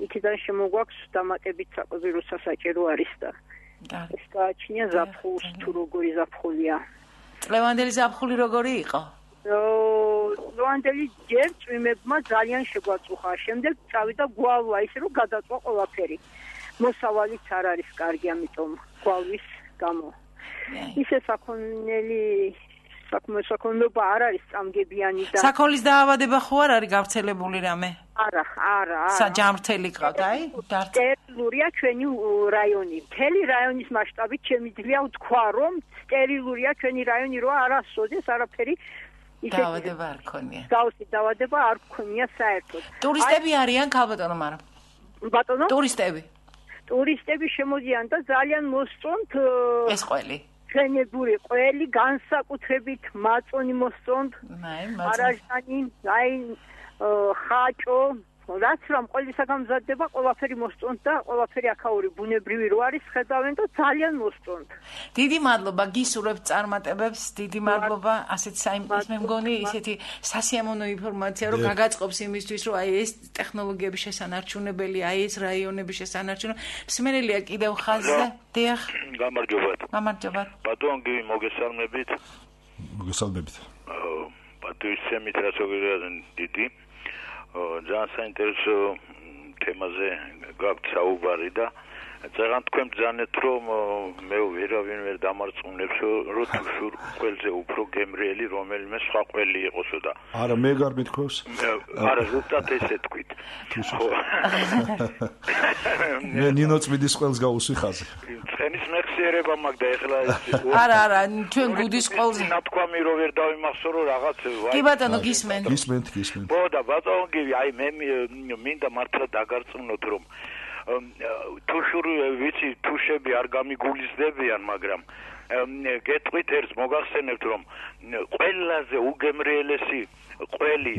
[SPEAKER 6] იქიდან შემოგვაქვს დამატებით საკვები სასაჭირო არის და ეს გააჩნია ზაფხულს თუ როგორი ზაფხულია.
[SPEAKER 2] წლევანდელი ზაფხული როგორი იყო?
[SPEAKER 6] ლევანდელი ჯერ წვიმებმა ძალიან შეგვაწუხა. შემდეგ წავიდა გვალვა, ისე რომ გადაწვა ყველაფერი. მოსავალიც არ არის კარგი, ამიტომ გვალვის გამო. ისე საქონელი საკმაოდ არ არის წამგებიანი და
[SPEAKER 2] საქონლის დაავადება ხო არ არის გავრცელებული რამე?
[SPEAKER 6] არა, არა, არა.
[SPEAKER 2] საჯამრთელი ყავთ, აი?
[SPEAKER 6] სტერილურია ჩვენი რაიონი. მთელი რაიონის მასშტაბით შემიძლია ვთქვა, რომ სტერილურია ჩვენი რაიონი, რომ არასოდეს არაფერი
[SPEAKER 2] დაავადება არ ქონია.
[SPEAKER 6] გავსი დაავადება არ ქონია საერთოდ.
[SPEAKER 2] ტურისტები არიან ქალბატონო, მაგრამ
[SPEAKER 6] ბატონო?
[SPEAKER 2] ტურისტები.
[SPEAKER 6] ტურისტები შემოდიან და ძალიან მოსწონთ
[SPEAKER 2] ეს ყველი.
[SPEAKER 6] ჩვენებური ყველი განსაკუთრებით მაწონი მოსწონთ.
[SPEAKER 2] აი, მაწონი.
[SPEAKER 6] არაჟანი, აი ხაჭო, რაც რომ ყველისაგან მზადდება, ყველაფერი მოსწონთ და ყველაფერი აქაური ბუნებრივი რო არის, ხედავენ და ძალიან მოსწონთ.
[SPEAKER 2] დიდი მადლობა გისურვებთ წარმატებებს, დიდი მადლობა, ასეთ საინტერესო მე მგონი ისეთი სასიამოვნო ინფორმაცია, რომ გაგაწყობს იმისთვის, რომ აი ეს ტექნოლოგიების შესანარჩუნებელი, აი ეს რაიონების შესანარჩუნებელი, მსმენელია კიდევ ხაზზე. დიახ.
[SPEAKER 7] გამარჯობათ.
[SPEAKER 2] გამარჯობათ.
[SPEAKER 7] ბატონ გივი მოგესალმებით.
[SPEAKER 3] მოგესალმებით.
[SPEAKER 7] პატივისცემით რასოგვირადენ დიდი. ძალიან საინტერესო თემაზე გაქვთ საუბარი და ძალიან თქვენ ბრძანეთ რომ მე ვერავინ ვერ დამარწმუნებს რომ თუ ყველზე უფრო გემრიელი რომელიმე სხვა ყველი იყოსო და
[SPEAKER 3] არა მე გარ მithქვევს
[SPEAKER 7] არა ზუსტად ესე თქვით
[SPEAKER 3] მე ნინო წმინდის ყველს გავუსვი ხაზი
[SPEAKER 7] ცხენის მეხსიერება მაგ და ეხლა
[SPEAKER 2] არა არა ჩვენ გუდის ყველზე
[SPEAKER 7] ნათქვამი რომ ვერ დავიმახსოვრო რაღაც
[SPEAKER 2] კი ბატონო გისმენთ
[SPEAKER 3] გისმენთ გისმენთ
[SPEAKER 7] ხო და ბატონო გივი აი მე მინდა მართლა დაგარწმუნოთ რომ თუშური ვიცი თუშები არ გამიგულისდებიან მაგრამ გეტყვით ერთს მოგახსენებთ რომ ყველაზე უგემრიელესი ყველი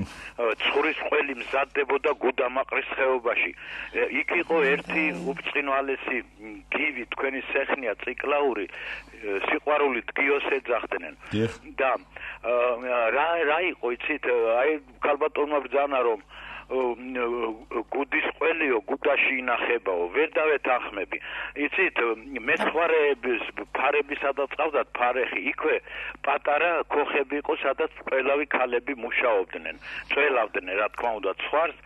[SPEAKER 7] ცხვრის ყველი მზადდებოდა გუდამაყრის ხეობაში იქ იყო ერთი უბწყინვალესი გივი თქვენი სეხნია ციკლაური სიყვარულით გიოს ეძახდნენ და რა რა იყო იცით აი ქალბატონმა ბრძანა რომ გუდის ყველიო გუდაში ინახებაო ვერ დავეთანხმები იცით მეცხვარეების ფარები სადაც ყავდათ ფარეხი იქვე პატარა ქოხები იყო სადაც ყველავი ქალები მუშაობდნენ წველავდნენ რა თქმა უნდა ცხვარს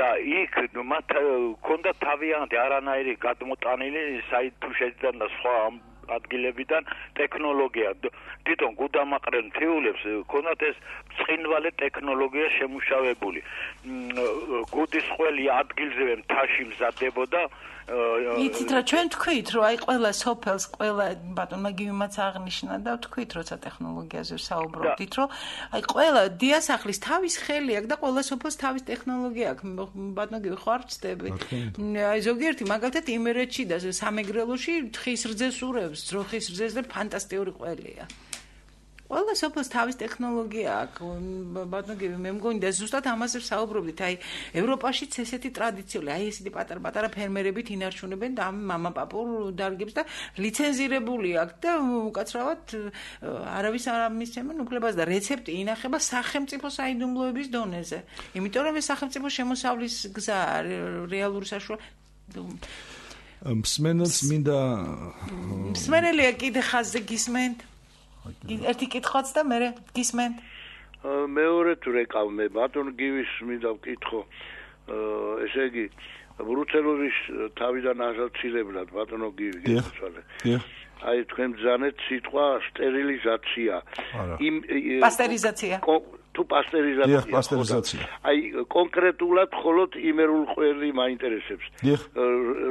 [SPEAKER 7] და იქ მათ ჰქონდა თავიანთი არანაირი გადმოტანილი საით თუ შეძდან და სხვა ადგილებიდან ტექნოლოგია თვითონ გუდამაყრენ თეულებს ქონათ ეს ცხინვალე ტექნოლოგია შემუშავებული გუდის ყველი ადგილზე მთაში მზადდებოდა
[SPEAKER 2] იცით რა ჩვენ თქვით რომ აი ყველა სოფელს ყველა ბატონმა გივიმაც აღნიშნა და თქვით როცა ტექნოლოგიაზე საუბრობდით რომ აი ყველა დიასახლის თავის ხელი აქვს და ყველა სოფელს თავის ტექნოლოგია აქვს ბატონო გივი ხო არ ვწდები აი ზოგიერთი მაგალითად იმერეთში და სამეგრელოში თხის რძეს ურევს ძროხის რძეს და ფანტასტიკური ყველია ყველა სოფელს თავის ტექნოლოგია აქვს ბატონო გივი მე მგონი და ზუსტად ამაზე საუბრობდით აი ევროპაშიც ესეთი ტრადიციული აი ესეთი პატარ-პატარა ფერმერებით ინარჩუნებენ და მამაპაპურ დარგებს და ლიცენზირებული აქვს და უკაცრავად არავის არ მისცემენ უფლებას და რეცეპტი ინახება სახელმწიფო საიდუმლოების დონეზე იმიტომ რომ ეს სახელმწიფო შემოსავლის გზა რეალური საშუალება
[SPEAKER 3] მსმენელს მინდა
[SPEAKER 2] მსმენელია კიდე ხაზზე გისმენთ ერთი კითხვაც და მე გისმენთ
[SPEAKER 4] მეორე თუ რეკავ მე ბატონ გივის მინდა ვკითხო ესე იგი ბრუცელოზის თავიდან ასაცილებლად ბატონო გივი გეცვალე აი თქვენ ბრძანეთ სიტყვა სტერილიზაცია
[SPEAKER 3] იმ
[SPEAKER 2] პასტერიზაცია
[SPEAKER 4] თუ პასტერიზაცია
[SPEAKER 3] დიახ პასტერიზაცია
[SPEAKER 4] აი კონკრეტულად მხოლოდ იმერულ ყველი მაინტერესებს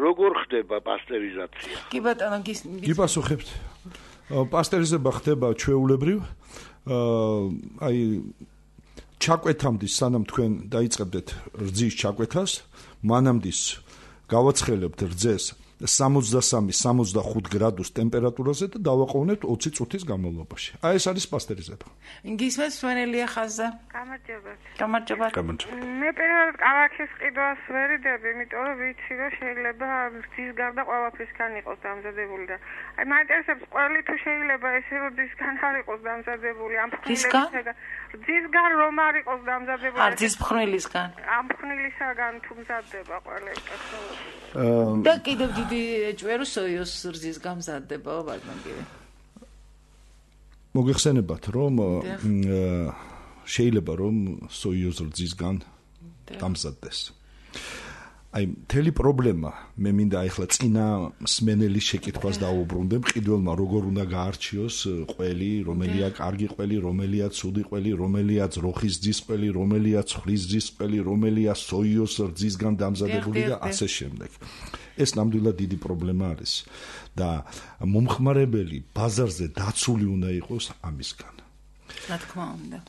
[SPEAKER 4] როგორ ხდება პასტერიზაცია
[SPEAKER 2] კი ბატონო
[SPEAKER 3] გიპასუხებთ პასტერიზება ხდება ჩვეულებრივ აი ჩაკვეთამდის სანამ თქვენ დაიწყებდეთ რძის ჩაკვეთას მანამდის გავაცხელებთ რძეს სამოცდასამი სამოცდახუთ გრადუს ტემპერატურაზე და დავაყოვნებთ ოცი წუთის განმავლობაში. აი ეს არის პასტერიზება.
[SPEAKER 2] გისმენთ სვენელია ხაზზე?
[SPEAKER 8] გამარჯობა.
[SPEAKER 2] გამარჯობა.
[SPEAKER 8] მე პირველად კალათის ყიდვას ვერიდები, იმიტომ რომ ვიცი რომ შეიძლება რძის გარდა ყველაფრისგან იყოს დამზადებული და აი მაინტერესებს ყველი თუ შეიძლება ესე რომ რძისგან არ იყოს დამზადებული ამ ფხვნილებისგან. რძისგან რომ არ იყოს დამზადებული.
[SPEAKER 2] არ რძის ფხვნილისგან.
[SPEAKER 8] ამ ფხვნილისგან თუ მზადდება ყველა ტექნოლოგია.
[SPEAKER 2] და კიდევ დიდი ჭვერო სოიოს რძის გამზადდება ბატონგივი.
[SPEAKER 3] მოგეხსენებათ რომ შეიძლება რომ სოიოს რძისგან დამზადდეს. აი მთელი პრობლემა მე მინდა ახლა წინა მსმენელის შეკითხვას დაუბრუნდე მყიდველმა როგორ უნდა გაარჩიოს ყველი, რომელია კარგი ყველი, რომელია ცუდი ყველი, რომელია ძროხის რძის ყველი, რომელია ცხრის რძის ყველი, რომელია სოიოს რძისგან დამზადებული და ასე შემდეგ. ეს ნამდვილად დიდი პრობლემა არის და მომხმარებელი ბაზარზე დაცული უნდა იყოს ამისგან.
[SPEAKER 2] რა თქმა უნდა.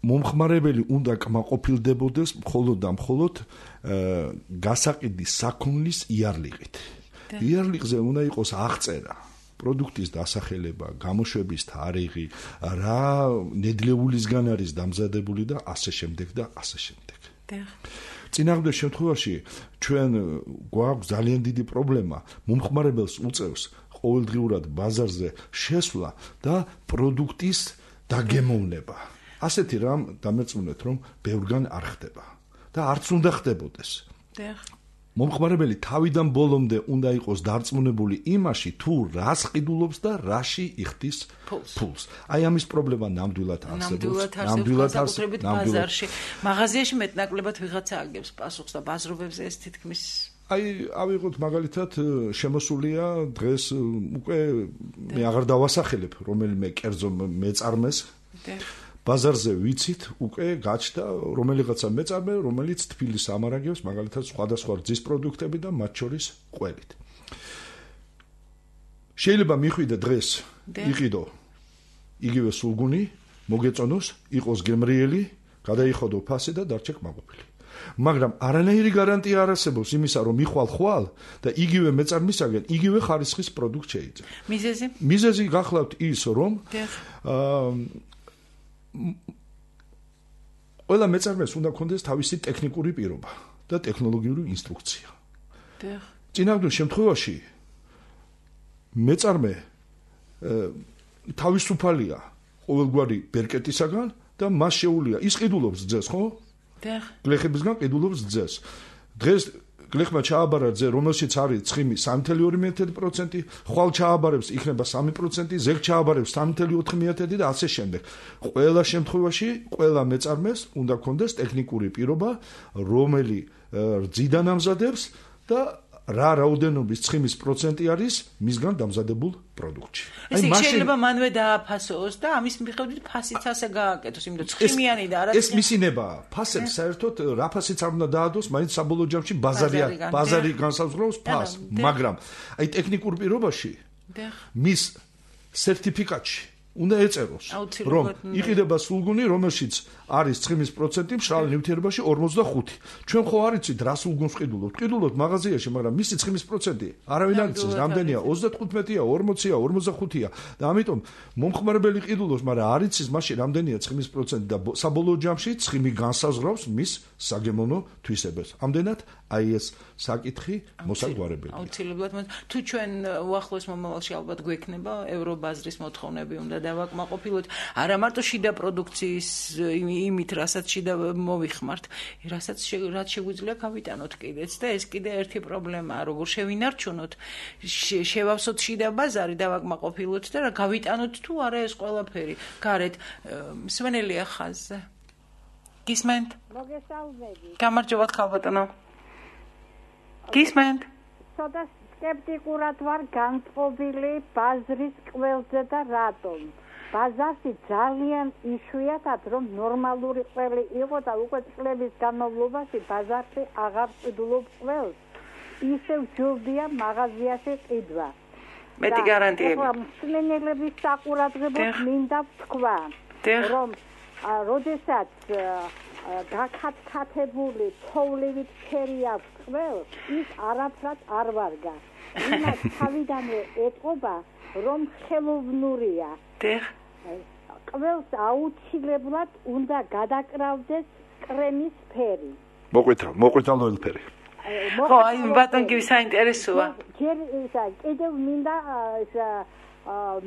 [SPEAKER 3] მომხმარებელი უნდა კმაყოფილდებოდეს მხოლოდ და მხოლოდ გასაყიდის საქონლის იარლიყით. იარლიყზე უნდა იყოს აღწერა პროდუქტის დასახელება, გამოშვების თარიღი, რა ნედლეულისგან არის დამზადებული და ასე შემდეგ და ასე შემდეგ. წინააღმდეგ შემთხვევაში ჩვენ გვაქვს ძალიან დიდი პრობლემა მომხმარებელს უწევს ყოველდღიურად ბაზარზე შესვლა და პროდუქტის დაგემოვნება. ასეთი რამ დამერწმუნეთ რომ ბევრგან არ ხდება და არც უნდა ხდებოდეს. მომხმარებელი თავიდან ბოლომდე უნდა იყოს დარწმუნებული იმაში თუ რას ყიდულობს და რაში იხდის ფულს. აი ამის პრობლემა ნამდვილად არსებობს.
[SPEAKER 2] ნამდვილად არსებობს ბაზარში. მაღაზიაში მეტნაკლებად ვიღაცა აგებს პასუხს და ბაზრობებზე ეს თითქმის
[SPEAKER 3] აი ავიღოთ მაგალითად შემოსულია დღეს უკვე მე აღარ დავასახელებ რომელიმე კერძო მეწარმეს. ბაზარზე ვიცით უკვე გაჩნდა რომელიღაცა მეწარმე რომელიც თბილისს ამარაგებს მაგალითად სხვადასხვა რძის პროდუქტები და მათ შორის ყველით. შეიძლება მიხვიდე დღეს იყიდო იგივე სულგუნი მოგეწონოს იყოს გემრიელი გადაიხოდო ფასი და დარჩე კმაყოფილი. მაგრამ არანაირი გარანტია არ არსებობს იმისა რომ მიხვალ ხვალ და იგივე მეწარმისაგან იგივე ხარისხის პროდუქტ შეიძლება.
[SPEAKER 2] მიზეზი?
[SPEAKER 3] მიზეზი გახლავთ ის რომ ყველა მეწარმეს უნდა ქონდეს თავისი ტექნიკური პირობა და ტექნოლოგიური ინსტრუქცია. წინააღმდეგ შემთხვევაში მეწარმე თავისუფალია ყოველგვარი ბერკეტისაგან და მას შეუძლია ის ყიდულობს რძეს, ხო? გლეხებისგან ყიდულობს რძეს. დღეს გლეხმა ჩააბარა რძე, რომელშიც არის ცხიმი სამი წუთი ორი პროცენტი, ხვალ ჩააბარებს იქნება სამი პროცენტი, ზეგ ჩააბარებს სამი წუთი ოთხი პროცენტი და ასე შემდეგ. ყველა შემთხვევაში, ყველა მეწარმეს უნდა ქონდეს ტექნიკური პირობა, რომელი რძიდან ამზადებს და რა რაოდენობის ცხიმის პროცენტი არის მისგან დამზადებულ პროდუქტში.
[SPEAKER 2] აი მაშინ შეიძლება მანვე დააფასოს და ამის მიხედვით ფასიც ასე გააკეთოს, იმიტომ ცხიმიანი და არა
[SPEAKER 3] ეს მისინებაა. ფასებს საერთოდ რა ფასიც არ უნდა დაადოს, მაინც საბოლოო ჯამში ბაზარია, ბაზარი განსაზღვრავს ფასს, მაგრამ აი ტექნიკურ პირობაში მის სერტიფიკატში უნდა ეწეროს, რომ იყიდება სულგუნი, რომელშიც არის ცხიმის პროცენტი მშრალ ნივთიერებაში ორმოცდახუთი. ჩვენ ხო არ იცით რა სულგუნს ყიდულობთ? ყიდულობთ მაღაზიაში, მაგრამ მისი ცხიმის პროცენტი არავინ არ იცის, რამდენია? ოცდათხუთმეტია, ორმოცია, ორმოცდახუთია და ამიტომ მომხმარებელი ყიდულობს, მაგრამ არ იცის მაშინ რამდენია ცხიმის პროცენტი და საბოლოო ჯამში ცხიმი განსაზღვრავს მის საგემოვნო თვისებებს. ამდენად აი ეს საკითხი მოსაგვარებელია.
[SPEAKER 2] აუცილებლად თუ ჩვენ უახლოეს მომავალში ალბათ გვექნება ევრობაზრის მოთხოვნები უნდა დავაკმაყოფილოთ არა მარტო შიდა პროდუქციის იმით რასაც შიდა მოვიხმართ, რასაც რაც შეგვიძლია გავიტანოთ კიდეც და ეს კიდე ერთი პრობლემაა, როგორ შევინარჩუნოთ, შევავსოთ შიდა ბაზარი, დავაკმაყოფილოთ და რა გავიტანოთ თუ არა ეს ყველაფერი. გარეთ სვენელია ხაზზე. გისმენთ?
[SPEAKER 6] მოგესალმები.
[SPEAKER 2] გამარჯობათ ხალბატონო. გისმენთ?
[SPEAKER 6] ცოტა სკეპტიკურად ვარ განწყობილი ბაზრის ყველზე და რატომ? ბაზარში ძალიან იშვიათად რომ ნორმალური ყველი იყო და უკვე წლების განმავლობაში ბაზარში აღარ ყიდულობს ყველს. ისევ ჯობია მაღაზიაში ყიდვა.
[SPEAKER 2] მეტი გარანტიები.
[SPEAKER 6] მსმენელების საყურადღებოდ მინდა ვთქვა, რომ როდესაც გაქათქათებული თოვლივით ფერი აქვს ყველს, ის არაფრად არ ვარგა. იმას თავიდანვე ეტყობა, რომ ხელოვნურია.
[SPEAKER 2] დიახ.
[SPEAKER 6] ყველს აუცილებლად უნდა გადაკრავდეს კრემის ფერი.
[SPEAKER 3] მოყვითალ, მოყვითალო ფერი.
[SPEAKER 2] ხო, აი ბატონ კი საინტერესოა.
[SPEAKER 6] ჯერ ისა კიდევ მინდა ისა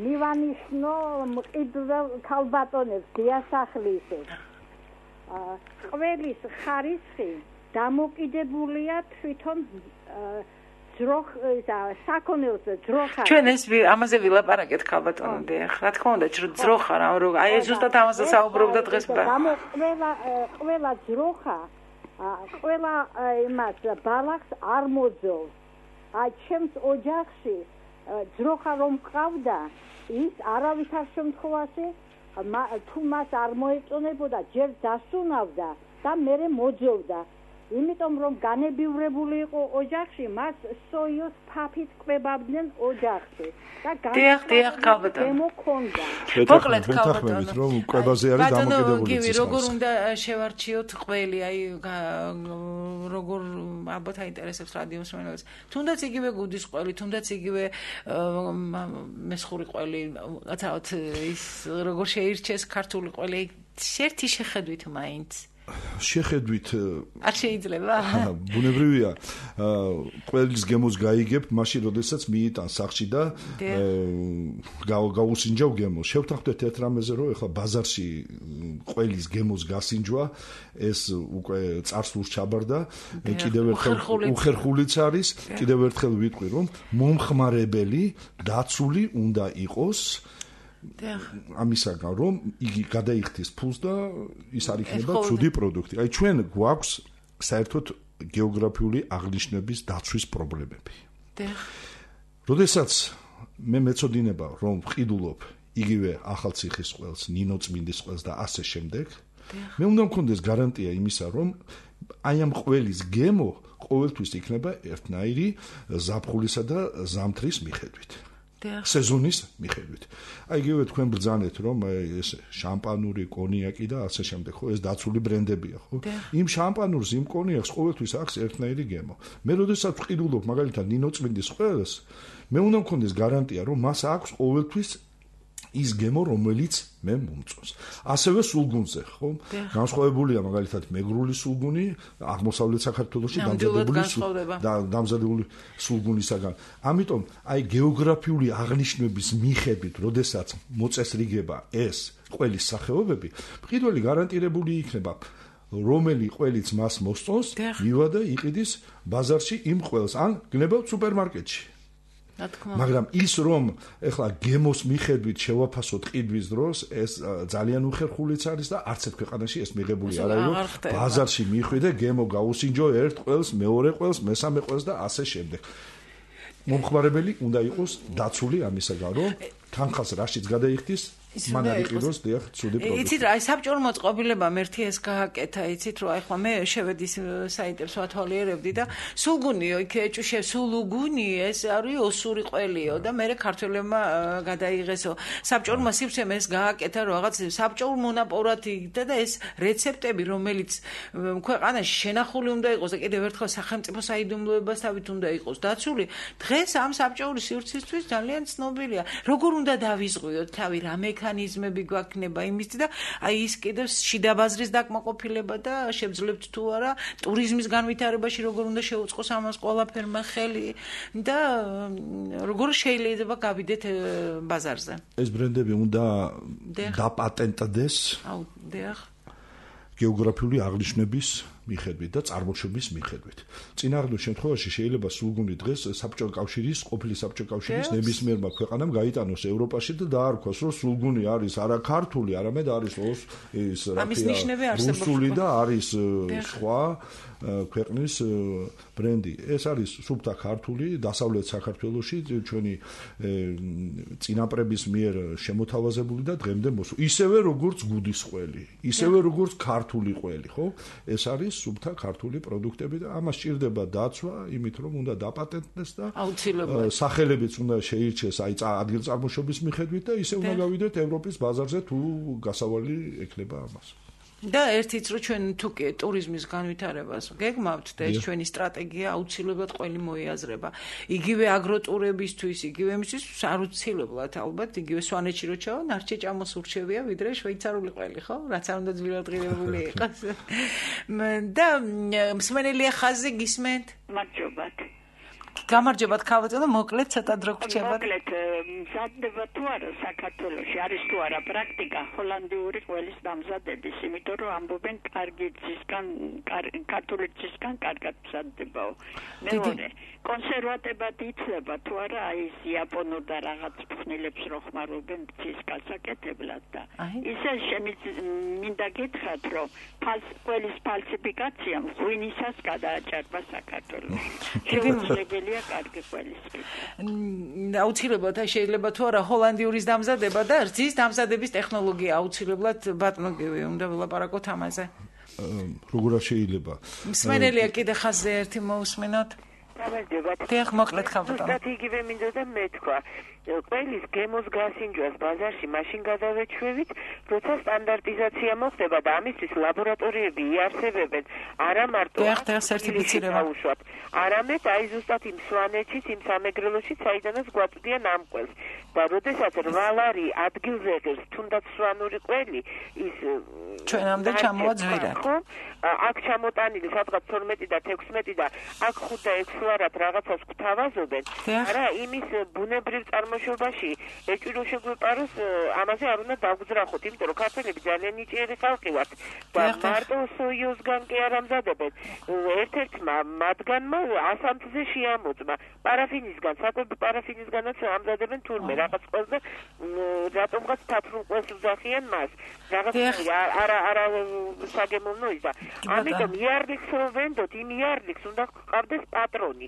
[SPEAKER 6] მივანიშნო მყიდველ ქალბატონებს დიასახლისებს. ყველის ხარისხი დამოკიდებულია თვითონ ძროხ ისა საქონელზე ძროხა.
[SPEAKER 2] ჩვენ ეს ამაზე ვილაპარაკეთ ქალბატონო დიახ. რა თქმა უნდა, ძროხა რა, აი ზუსტად ამაზე საუბრობდა დღეს ბა.
[SPEAKER 6] ყველა ყველა ძროხა ყველა იმას ბალახს არ მოძოვს. აი ჩემს ოჯახში ძროხა რომ ყავდა, ის არავითარ შემთხვევაში თუ მას არ მოეწონებოდა, ჯერ დასუნავდა და მერე მოძოვდა. იმიტომ რომ განებივრებული იყო ოჯახში, მას სოიოს ფაფით კვებავდნენ ოჯახში. და
[SPEAKER 2] დიახ, დიახ, ქალბატონო.
[SPEAKER 6] მემოქონდა.
[SPEAKER 2] მოკლედ ქალბატონო.
[SPEAKER 3] რომ კვებაზე არის დამოკიდებული.
[SPEAKER 2] ბატონო, როგორ უნდა შევარჩიოთ ყველი, აი როგორ ალბათ აინტერესებს რადიოს მომენტს. თუნდაც იგივე გუდის ყველი, თუნდაც იგივე მესხური ყველი, რაცაოთ ის როგორ შეირჩეს ქართული ყველი, ერთი შეხედვით მაინც.
[SPEAKER 3] შეხედვით
[SPEAKER 2] არ შეიძლება?
[SPEAKER 3] ბუნებრივია. ყველის გემოს გაიგებ, მაშინ როდესაც მიიტან სახში და გაუსინჯავ გემოს. შევთანხმდეთ ერთ რამეზე, რომ ეხლა ბაზარში ყველის გემოს გასინჯვა, ეს უკვე წარსულს ჩაბარდა, კიდევ ერთხელ უხერხულიც არის, კიდევ ერთხელ ვიტყვი, რომ მომხმარებელი დაცული უნდა იყოს ამისაგან რომ იგი გადაიხდის ფულს და ის არ იქნება ცუდი პროდუქტი. აი ჩვენ გვაქვს საერთოდ გეოგრაფიული აღნიშვნების დაცვის პრობლემები. როდესაც მე მეწოდინება რომ ვყიდულობ იგივე ახალციხის ყველს, ნინოწმინდის ყველს და ასე შემდეგ, მე უნდა მქონდეს გარანტია იმისა, რომ აი ამ ყველის გემო ყოველთვის იქნება ერთნაირი ზაფხულისა და ზამთრის მიხედვით. სეზონის მიხედვით. აი იგივე თქვენ ბრძანეთ რომ ეს შამპანური, კონიაკი და ასე შემდეგ, ხო, ეს დაცული ბრენდებია, ხო? იმ შამპანურს, იმ კონიაკს ყოველთვის აქვს ერთნაირი გემო. მე როდესაც ვყიდულობ მაგალითად ნინოწმინდის ყველს, მე უნდა მქონდეს გარანტია რომ მას აქვს ყოველთვის ის გემო, რომელიც მე მომწონს. ასევე სულგუნზე, ხო? განსხვავებულია მაგალითად მეგრული სულგუნი აღმოსავლეთ საქართველოში დამზადებული დამზადებული სულგუნისაგან. ამიტომ აი გეოგრაფიული აღნიშვნების მიხედვით, როდესაც მოწესრიგება ეს ყველის სახეობები, მყიდველი გარანტირებული იქნება. რომელი ყველიც მას მოსწონს, მივა და იყიდის ბაზარში იმ ყველს, ან გნებავ სუპერმარკეტში. მაგრამ ის რომ ეხლა გემოს მიხედვით შევაფასოთ ყიდვის დროს, ეს ძალიან უხერხულიც არის და არც ერთ ქვეყანაში ეს მიღებული არ არის, რომ ბაზარში მიხვიდე გემო გაუსინჯო ერთ ყველს, მეორე ყველს, მესამე ყველს და ასე შემდეგ. მომხმარებელი უნდა იყოს დაცული ამისაგან, რომ თანხას რაშიც გადაიხდის, მან არ იყიდოს დიახ ცუდი პროდუქტი.
[SPEAKER 2] იცით რა, საბჭოურ მოწყობილებამ ერთი ეს გააკეთა, იცით რა, ახლა მე შევედი საიტებს ვათვალიერებდი და სულგუნიო, იქ ეჭუშე სულუგუნი, ეს არის ოსური ყველიო და მე ქართველებმა გადაიღესო. საბჭოურმა სივრცემ ეს გააკეთა რაღაც საბჭოურ მონაპოვრად იქდა და ეს რეცეპტები, რომელიც ქვეყანაში შენახული უნდა იყოს და კიდევ ერთხელ სახელმწიფო საიდუმლოებასთავით უნდა იყოს დაცული, დღეს ამ საბჭოური სივრცისთვის ძალიან ცნობილია. როგორ უნდა დავიზღვიოთ თავი რა მექანიზმები გვაქვს იმის და აი ის კიდევ შიდა ბაზრის დაკმაყოფილება და შევძლებთ თუ არა ტურიზმის განვითარებაში როგორ უნდა შეუწყოს ამას ყველაფერმა ხელი და როგორ შეიძლება გავიდეთ ბაზარზე.
[SPEAKER 3] ეს ბრენდები უნდა დაპატენტდეს.
[SPEAKER 2] აუ, დიახ.
[SPEAKER 3] გეოგრაფიული აღნიშვნების მიხედვით და წარმოშობის მიხედვით. წინააღმდეგ შემთხვევაში შეიძლება სულგუნი დღეს საბჭოთა კავშირის, ყოფილი საბჭოთა კავშირის ნებისმიერმა ქვეყანამ გაიტანოს ევროპაში და დაარქვას, რომ სულგუნი არის არა ქართული, არამედ არის ის რუსული და არის სხვა ქვეყნის ბრენდი. ეს არის სუფთა ქართული, დასავლეთ საქართველოში ჩვენი წინაპრების მიერ შემოთავაზებული და დღემდე მოსული. ისევე როგორც გუდის ყველი, ისევე როგორც ქართული ყველი, ხო? ეს არის სუფთა ქართული პროდუქტები და ამას სჭირდება დაცვა, იმით რომ უნდა დაპატენტდეს და სახელებიც უნდა შეირჩეს აი ადგილწარმოშობის მიხედვით და ისე უნდა გავიდეთ ევროპის ბაზარზე თუ გასავალი ექნება ამას.
[SPEAKER 2] და ერთიც რომ ჩვენ თუ კი ტურიზმის განვითარებას გეგმავთ და ეს ჩვენი სტრატეგია აუცილებლად ყველი მოიაზრება. იგივე აგროტურებისთვის, იგივე იმისთვის აუცილებლად ალბათ იგივე სვანეთში რო ჩავა, ნარჩე ჭამოსურჩევია ვიდრე შვეიცარიული ყველი, ხო? რაც არ უნდა ძვილადღირებული იყოს. და მსმენელია ხაზზე გისმენთ?
[SPEAKER 9] მადლობთ.
[SPEAKER 2] გამარჯობათ ქალბატონო, მოკლედ ცოტა დრო გრჩებათ.
[SPEAKER 9] მოკლედ მზადდება თუ არა საქართველოში არის თუ არა პრაქტიკა ჰოლანდიური ყველის დამზადების, იმიტომ რომ ამბობენ კარგი ძისგან, ქართული ძისგან კარგად მზადდებაო. მეორე, კონსერვატებად იცლება თუ არა აი ეს იაპონურ და რაღაც ფხნილებს რო ხმარობენ ძის გასაკეთებლად და ისე მინდა გითხრათ რომ ყველის ფალსიფიკაცია ღვინისას გადააჭარბა საქართველოში. შეუძლებელია კარგი ყველის.
[SPEAKER 2] აუცილებლად შეიძლება თუ არა ჰოლანდიურის დამზადება და რძის დამზადების ტექნოლოგია აუცილებლად ბატონო გივი უნდა ვილაპარაკოთ ამაზე.
[SPEAKER 3] როგორ შეიძლება?
[SPEAKER 2] მსმენელია კიდე ხაზზე ერთი მოусმინოთ.
[SPEAKER 10] გამარჯობათ.
[SPEAKER 2] დიახ, მოკლედ ხალბატონო.
[SPEAKER 10] ზუსტად იგივე მინდოდა მეთქვა. ყველის გემოს გასინჯვას ბაზარში მაშინ გადავეჩვევით, როცა სტანდარტიზაცია მოხდება და ამისთვის ლაბორატორიები იარსებებენ, არა მარტო სერტიფიცირება, არამედ აი ზუსტად იმ სვანეთშიც, იმ სამეგრელოშიც, საიდანაც გვაწვდიან ამ ყველს. და როდესაც რვალარი ადგილზე ღირს, თუნდაც სვანური ყველი, ის
[SPEAKER 2] ჩვენამდე ჩამოვა ძვირად.
[SPEAKER 10] აქ ჩამოტანილი სადღაც თორმეტი და თექვსმეტი და აქ ხუთ და ექვსი ვარად რაღაცას გვთავაზობენ. არა, იმის ბუნებრივ წარმოშობაში ეჭვი შეგვეპაროს, ამაზე არ უნდა დავგზრახოთ, იმიტომ რომ ქართველები ძალიან ნიჭიერი ხალხი ვართ და მარტო სოიოზგან კი არ ამზადებენ. ერთ-ერთმა მათგანმა ასამთზე შეამოწმა პარაფინისგან, საკვები პარაფინისგანაც ამზადებენ თურმე რაღაც ყველზე, რატომღაც თაფრულ ყველს ვძახიან მას. რაღაც არა არა საგემოვნო ისა. ამიტომ იარლიქს რომ ვენდოთ, იმ იარლიქს უნდა ყავდეს პატრონი.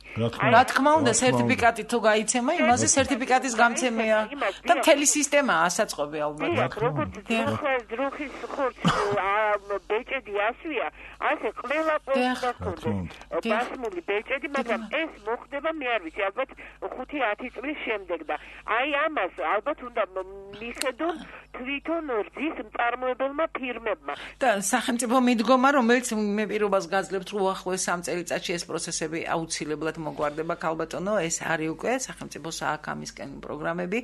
[SPEAKER 2] რა თქმა უნდა, სერტიფიკატი თუ გაიცემა, იმაზე სერტიფიკატის გამცემია და მთელი სისტემა ასაწყობი ალბათ.
[SPEAKER 10] როგორც დროხის ხორცს ბეჭედი ასვია, ასე ყველა ყველს გქონდეს ბასმული ბეჭედი, მაგრამ ეს მოხდება მე არ ვიცი, ალბათ ხუთი ათი წლის შემდეგ და აი ამას ალბათ უნდა მიხედონ თვითონ რძის მწარმოებელმა ფირმებმა.
[SPEAKER 2] და სახელმწიფო მიდგომა, რომელიც მე პირობას გაძლევთ, რომ უახლოეს სამ წელიწადში ეს პროცესები აუცილებლად მოგვარდება, ქალბატონო, ეს არის უკვე სახელმწიფო სააქამისკენ პროგრამები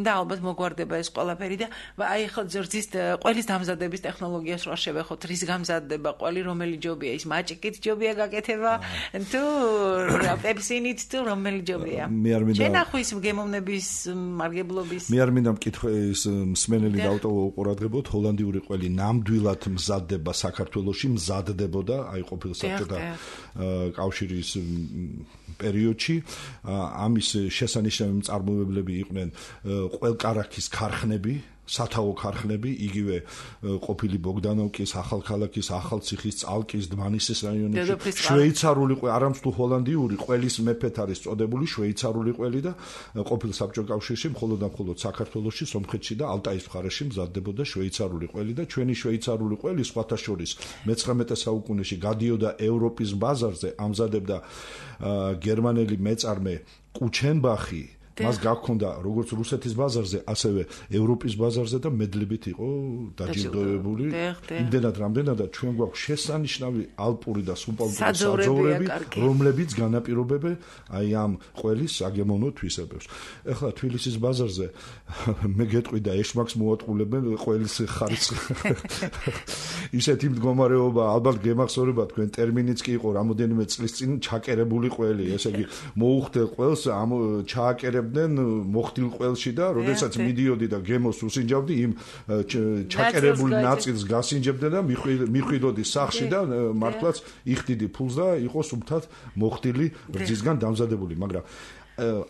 [SPEAKER 2] და ალბათ მოგვარდება ეს ყველაფერი და აი ხო რძის ყველის დამზადების ტექნოლოგიას რა შევეხოთ, რის გამზადდება ყველი, რომელი ჯობია, ის მაჭიკით ჯობია გაკეთება თუ პეპსინით თუ რომელი ჯობია. შენახვის გემოვნების მარგებლობის
[SPEAKER 3] მე არ მინდა მკითხე ეს მსმენელი დავტოვო უყურადღებოთ, ჰოლანდიური ყველი ნამდვილად მზადდება საქართველოში, მზადდებოდა აი ყოფილ საბჭოთა კავშირის პერიოდში. ამის შესანიშნავი მწარმოებლები იყვნენ ყველკარაქის ქარხნები, სათაო ქარხნები, იგივე ყოფილი ბოგდანოვკის, ახალქალაქის, ახალციხის, წალკის, დმანისის რაიონებში, შვეიცარული ყველი, არამც თუ ჰოლანდიური ყველის მეფეთ არის წოდებული შვეიცარული ყველი და ყოფილ საბჭოთა კავშირში მხოლოდ და მხოლოდ საქართველოში, სომხეთში და ალტაის მხარეში მზადდებოდა შვეიცარული ყველი და ჩვენი შვეიცარული ყველი სხვათა შორის მეცხრამეტე საუკუნეში გადიოდა ევროპის ბაზარზე, ამზადებდა გერმანელი მეწარმე კუჩენბახი. მას გაქონდა როგორც რუსეთის ბაზარზე, ასევე ევროპის ბაზარზე და მედლებით იყო დაჯილდოებული. იმდენად რამდენადაც ჩვენ გვაქვს შესანიშნავი ალპური და სუბალპური საძოვრები, რომლებიც განაპირობებენ აი ამ ყველის საგემოვნო თვისებებს. ეხლა თბილისის ბაზარზე მე გეტყვი და ეშმაკს მოატყულებენ ყველის ხარისხს. ისეთი მდგომარეობა, ალბათ გემახსოვრება თქვენ ტერმინიც კი იყო რამოდენიმე წლის წინ ჩაკერებული ყველი, ესე იგი მოუხდე ყველს ამ ჩააკერებ მოხდილ ყველში და როდესაც მიდიოდი და გემოს უსინჯავდი იმ ჩაკერებული ნაწილს გასინჯებდი და მიხვიდოდი სახში და მართლაც იხდიდი ფულს და იყო სუფთად მოხდილი რძისგან დამზადებული, მაგრამ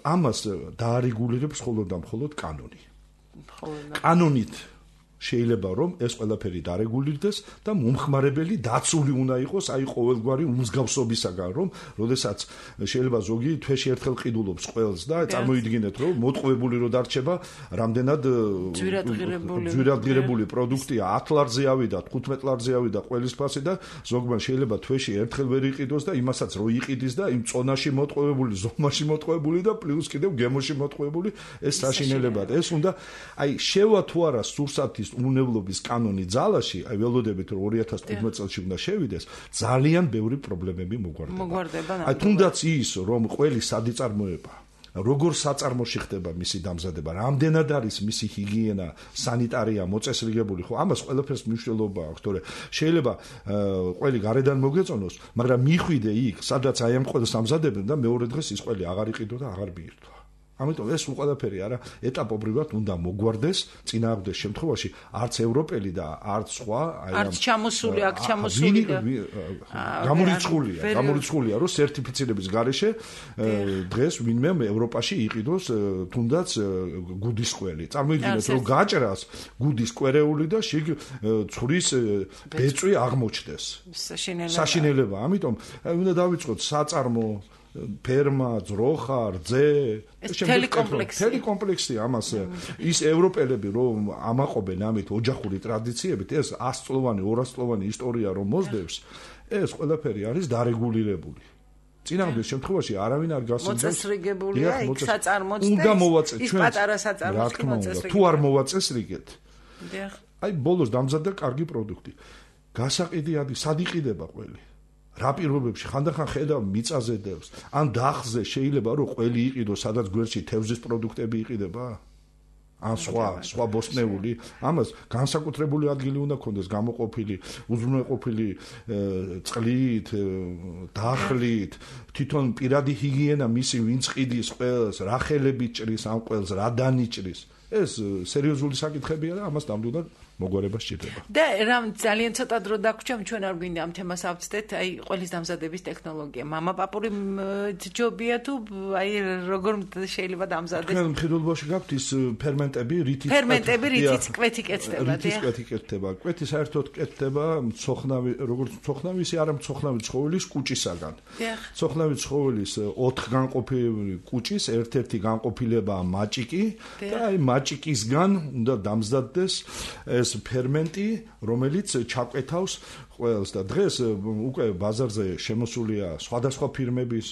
[SPEAKER 3] ამას დაარეგულირებს მხოლოდ და მხოლოდ კანონი. კანონით შეიძლება რომ ეს ყველაფერი დარეგულირდეს და მომხმარებელი დაცული უნდა იყოს აი ყოველგვარი უმსგავსობისაგან, რომ როდესაც შეიძლება ზოგი თვეში ერთხელ ყიდულობს ყველს და წარმოიდგინეთ რომ მოტყუებული რო დარჩება რამდენად ძვირადღირებული პროდუქტია, ათ ლარზე ავიდა, თხუთმეტ ლარზე ავიდა ყველის ფასი და ზოგმა შეიძლება თვეში ერთხელ ვერ იყიდოს და იმასაც რო იყიდის და იმ წონაში მოტყუებული, ზომაში მოტყუებული და პლუს კიდევ გემოში მოტყუებული ეს საშინელებად. ეს უნდა აი შევა თუ არა სურსათის ველოდების უნებლობის კანონი ძალაში, აი ველოდებით რომ ორი ათას თხუთმეტ წელს უნდა შევიდეს, ძალიან ბევრი პრობლემები მოგვარდება.
[SPEAKER 2] მოგვარდება.
[SPEAKER 3] აი თუნდაც ის, რომ ყველი სადიწარმოება როგორ საწარმოში ხდება მისი დამზადება, რამდენად არის მისი ჰიგიენა, სანიტარია მოწესრიგებული, ხო, ამას ყველაფერს მნიშვნელობა აქვს, თორე შეიძლება ყველი გარედან მოგეწონოს, მაგრამ მიხვიდე იქ, სადაც აი ამ ყველს ამზადებენ და მეორე დღეს ის ყველი აღარ იყიდო და აღარ მიირთვა. ამიტომ ეს ყველაფერი არა ეტაპობრივად უნდა მოგვარდეს წინააღმდეგ შემთხვევაში არც ევროპელი და არც სხვა
[SPEAKER 2] აი არც ჩამოსული აქ ჩამოსული და
[SPEAKER 3] გამორიცხულია გამორიცხულია რომ სერტიფიცირების გარეშე დღეს ვინმე ევროპაში იყიდოს თუნდაც გუდის კველი წარმოიდგინეთ რომ გაჭრას გუდის კვერეული და შიგ ცხვრის ბეწვი აღმოჩნდეს საშინელება ამიტომ უნდა დავიწყოთ საწარმო ფერმა, ძროხა, რძე,
[SPEAKER 2] ტელეკომპლექსი.
[SPEAKER 3] ტელეკომპლექსი ამას ის ევროპელები რომ ამაყობენ ამით ოჯახური ტრადიციებით, ეს ასწლოვანი, ორასწლოვანი ისტორია რომ მოსდევს, ეს ყველაფერი არის დარეგულირებული. წინააღმდეგ შემთხვევაში არავინ არ გასინჯებს.
[SPEAKER 2] მოწესრიგებულია იქ საწარმოც
[SPEAKER 3] უნდა მოვაწეს
[SPEAKER 2] ჩვენ. ის პატარა საწარმოც კი მოწესრიგებულია.
[SPEAKER 3] თუ არ მოვაწესრიგეთ. აი ბოლოს დამზადდა კარგი პროდუქტი. გასაყიდი არის, სად იყიდება ყველი? რა პირობებში ხანდახან ხედავ მიწაზე დევს ან დახზე შეიძლება რომ ყველი იყიდოს სადაც გვერდში თევზის პროდუქტები იყიდება ან სხვა სხვა ბოსტნეული ამას განსაკუთრებული ადგილი უნდა ქონდეს გამოყოფილი უზრუნველყოფილი წყლით დახლით თვითონ პირადი ჰიგიენა მისი ვინც ყიდის ყველს რა ხელები ჭრის ამ ყველს რა დანიჭრის ეს სერიოზული საკითხებია და ამას ნამდვილად მოგვარება სჭირდება.
[SPEAKER 2] და რამ ძალიან ცოტა დრო დაგვრჩა, ჩვენ არ გვინდა ამ თემას ავწდეთ, აი ყველის დამზადების ტექნოლოგია. მამაპაპური ჯობია თუ აი როგორ შეიძლება დამზადდეს?
[SPEAKER 3] თქვენ მხედველობაში გაქვთ ის ფერმენტები, რითიც
[SPEAKER 2] ფერმენტები, რითიც კვეთი კეთდება,
[SPEAKER 3] რითიც კვეთი კეთდება. კვეთი საერთოდ კეთდება მწოხნავი, როგორც მწოხნავი, ისე არა მწოხნავი ცხოველის კუჭისაგან. მწოხნავი ცხოველის ოთხ განყოფილებული კუჭის ერთ-ერთი განყოფილებაა მაჭიკი და აი მაჭიკისგან უნდა დამზადდეს ეს ფერმენტი, რომელიც ჩაკვეთავს ყველს და დღეს უკვე ბაზარზე შემოსულია სხვადასხვა ფირმების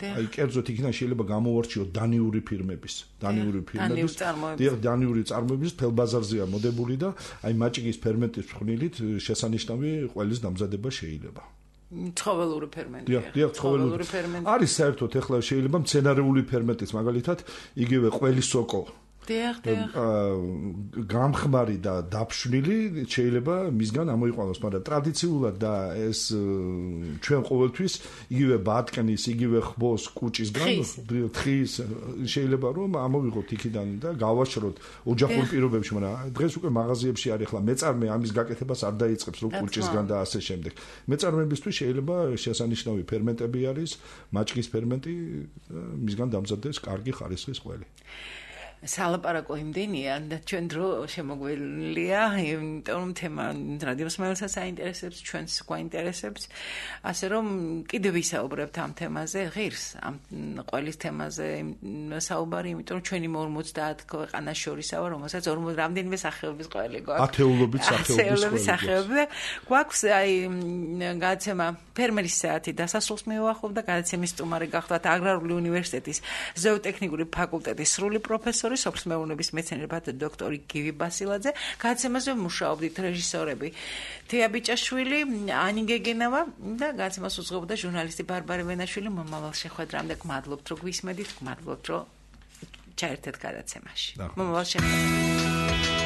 [SPEAKER 3] აი კერძოდ იქიდან შეიძლება გამოვარჩიოთ დანიური ფირმების, დანიური ფირმების, დანიური წარმოების თელ ბაზარზეა მოდებული და აი მაჭიკის ფერმენტის ფხვნილით შესანიშნავი ყველის დამზადება შეიძლება.
[SPEAKER 2] ცხოველური ფერმენტი.
[SPEAKER 3] დიახ, ცხოველური ფერმენტი. არის საერთოდ ეხლა შეიძლება მცენარეული ფერმენტის, მაგალითად, იგივე ყველის სოკო.
[SPEAKER 2] დიახ, დიახ.
[SPEAKER 3] გამხმარი და დაფშვნილი შეიძლება მისგან ამოიყვანოს, მაგრამ ტრადიციულად და ეს ჩვენ ყოველთვის იგივე ბატკნის, იგივე ხბოს კუჭისგან, თხის შეიძლება რომ ამოვიღოთ იქიდან და გავაშროთ ოჯახურ პირობებში, მაგრამ დღეს უკვე მაღაზიებში არის, ახლა მეწარმე ამის გაკეთებას არ დაიწყებს რომ კუჭისგან და ასე შემდეგ. მეწარმეებისთვის შეიძლება შესანიშნავი ფერმენტები არის, მაჭკის ფერმენტი, მისგან დამზადდეს კარგი ხარისხის ყველი.
[SPEAKER 2] სალაპარაკო იმდენია და ჩვენ დრო შემოგველია, იმიტომ რომ თემა რადიოს მაილსაც აინტერესებს, ჩვენს გვაინტერესებს, ასე რომ კიდევ ვისაუბრებთ ამ თემაზე, ღირს ამ ყველის თემაზე საუბარი, იმიტომ რომ ჩვენი ორმოცდაათ ქვეყანას შორისაა, რომელსაც ორმოცდა რამდენიმე სახეობის ყველი გვაქვს.
[SPEAKER 3] ათეულობით სახეობის
[SPEAKER 2] სახეობები გვაქვს, აი გადაცემა ფერმერის საათი დასასრულს მიუახლოვდა, გადაცემის სტუმარი გახლავთ აგრარული უნივერსიტეტის ზოოტექნიკური ფაკულტეტის სრული პროფესორი სოფლის მეურნეობის მეცნიერებათა დოქტორი გივი ბასილაძე, გადაცემაზე მუშაობდით რეჟისორები თეა ბიჭაშვილი, ანი გეგენავა და გადაცემას უძღვებოდა ჟურნალისტი ბარბარე ვენაშვილი. მომავალ შეხვედრამდე გმადლობთ, რომ გვისმედით, გმადლობთ, რომ ჩაერთეთ გადაცემაში. მომავალ შეხვედრამდე.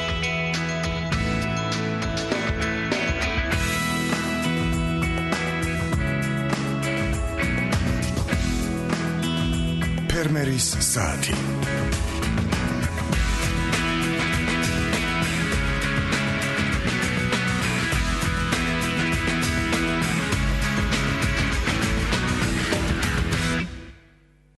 [SPEAKER 1] ფერმერის საათი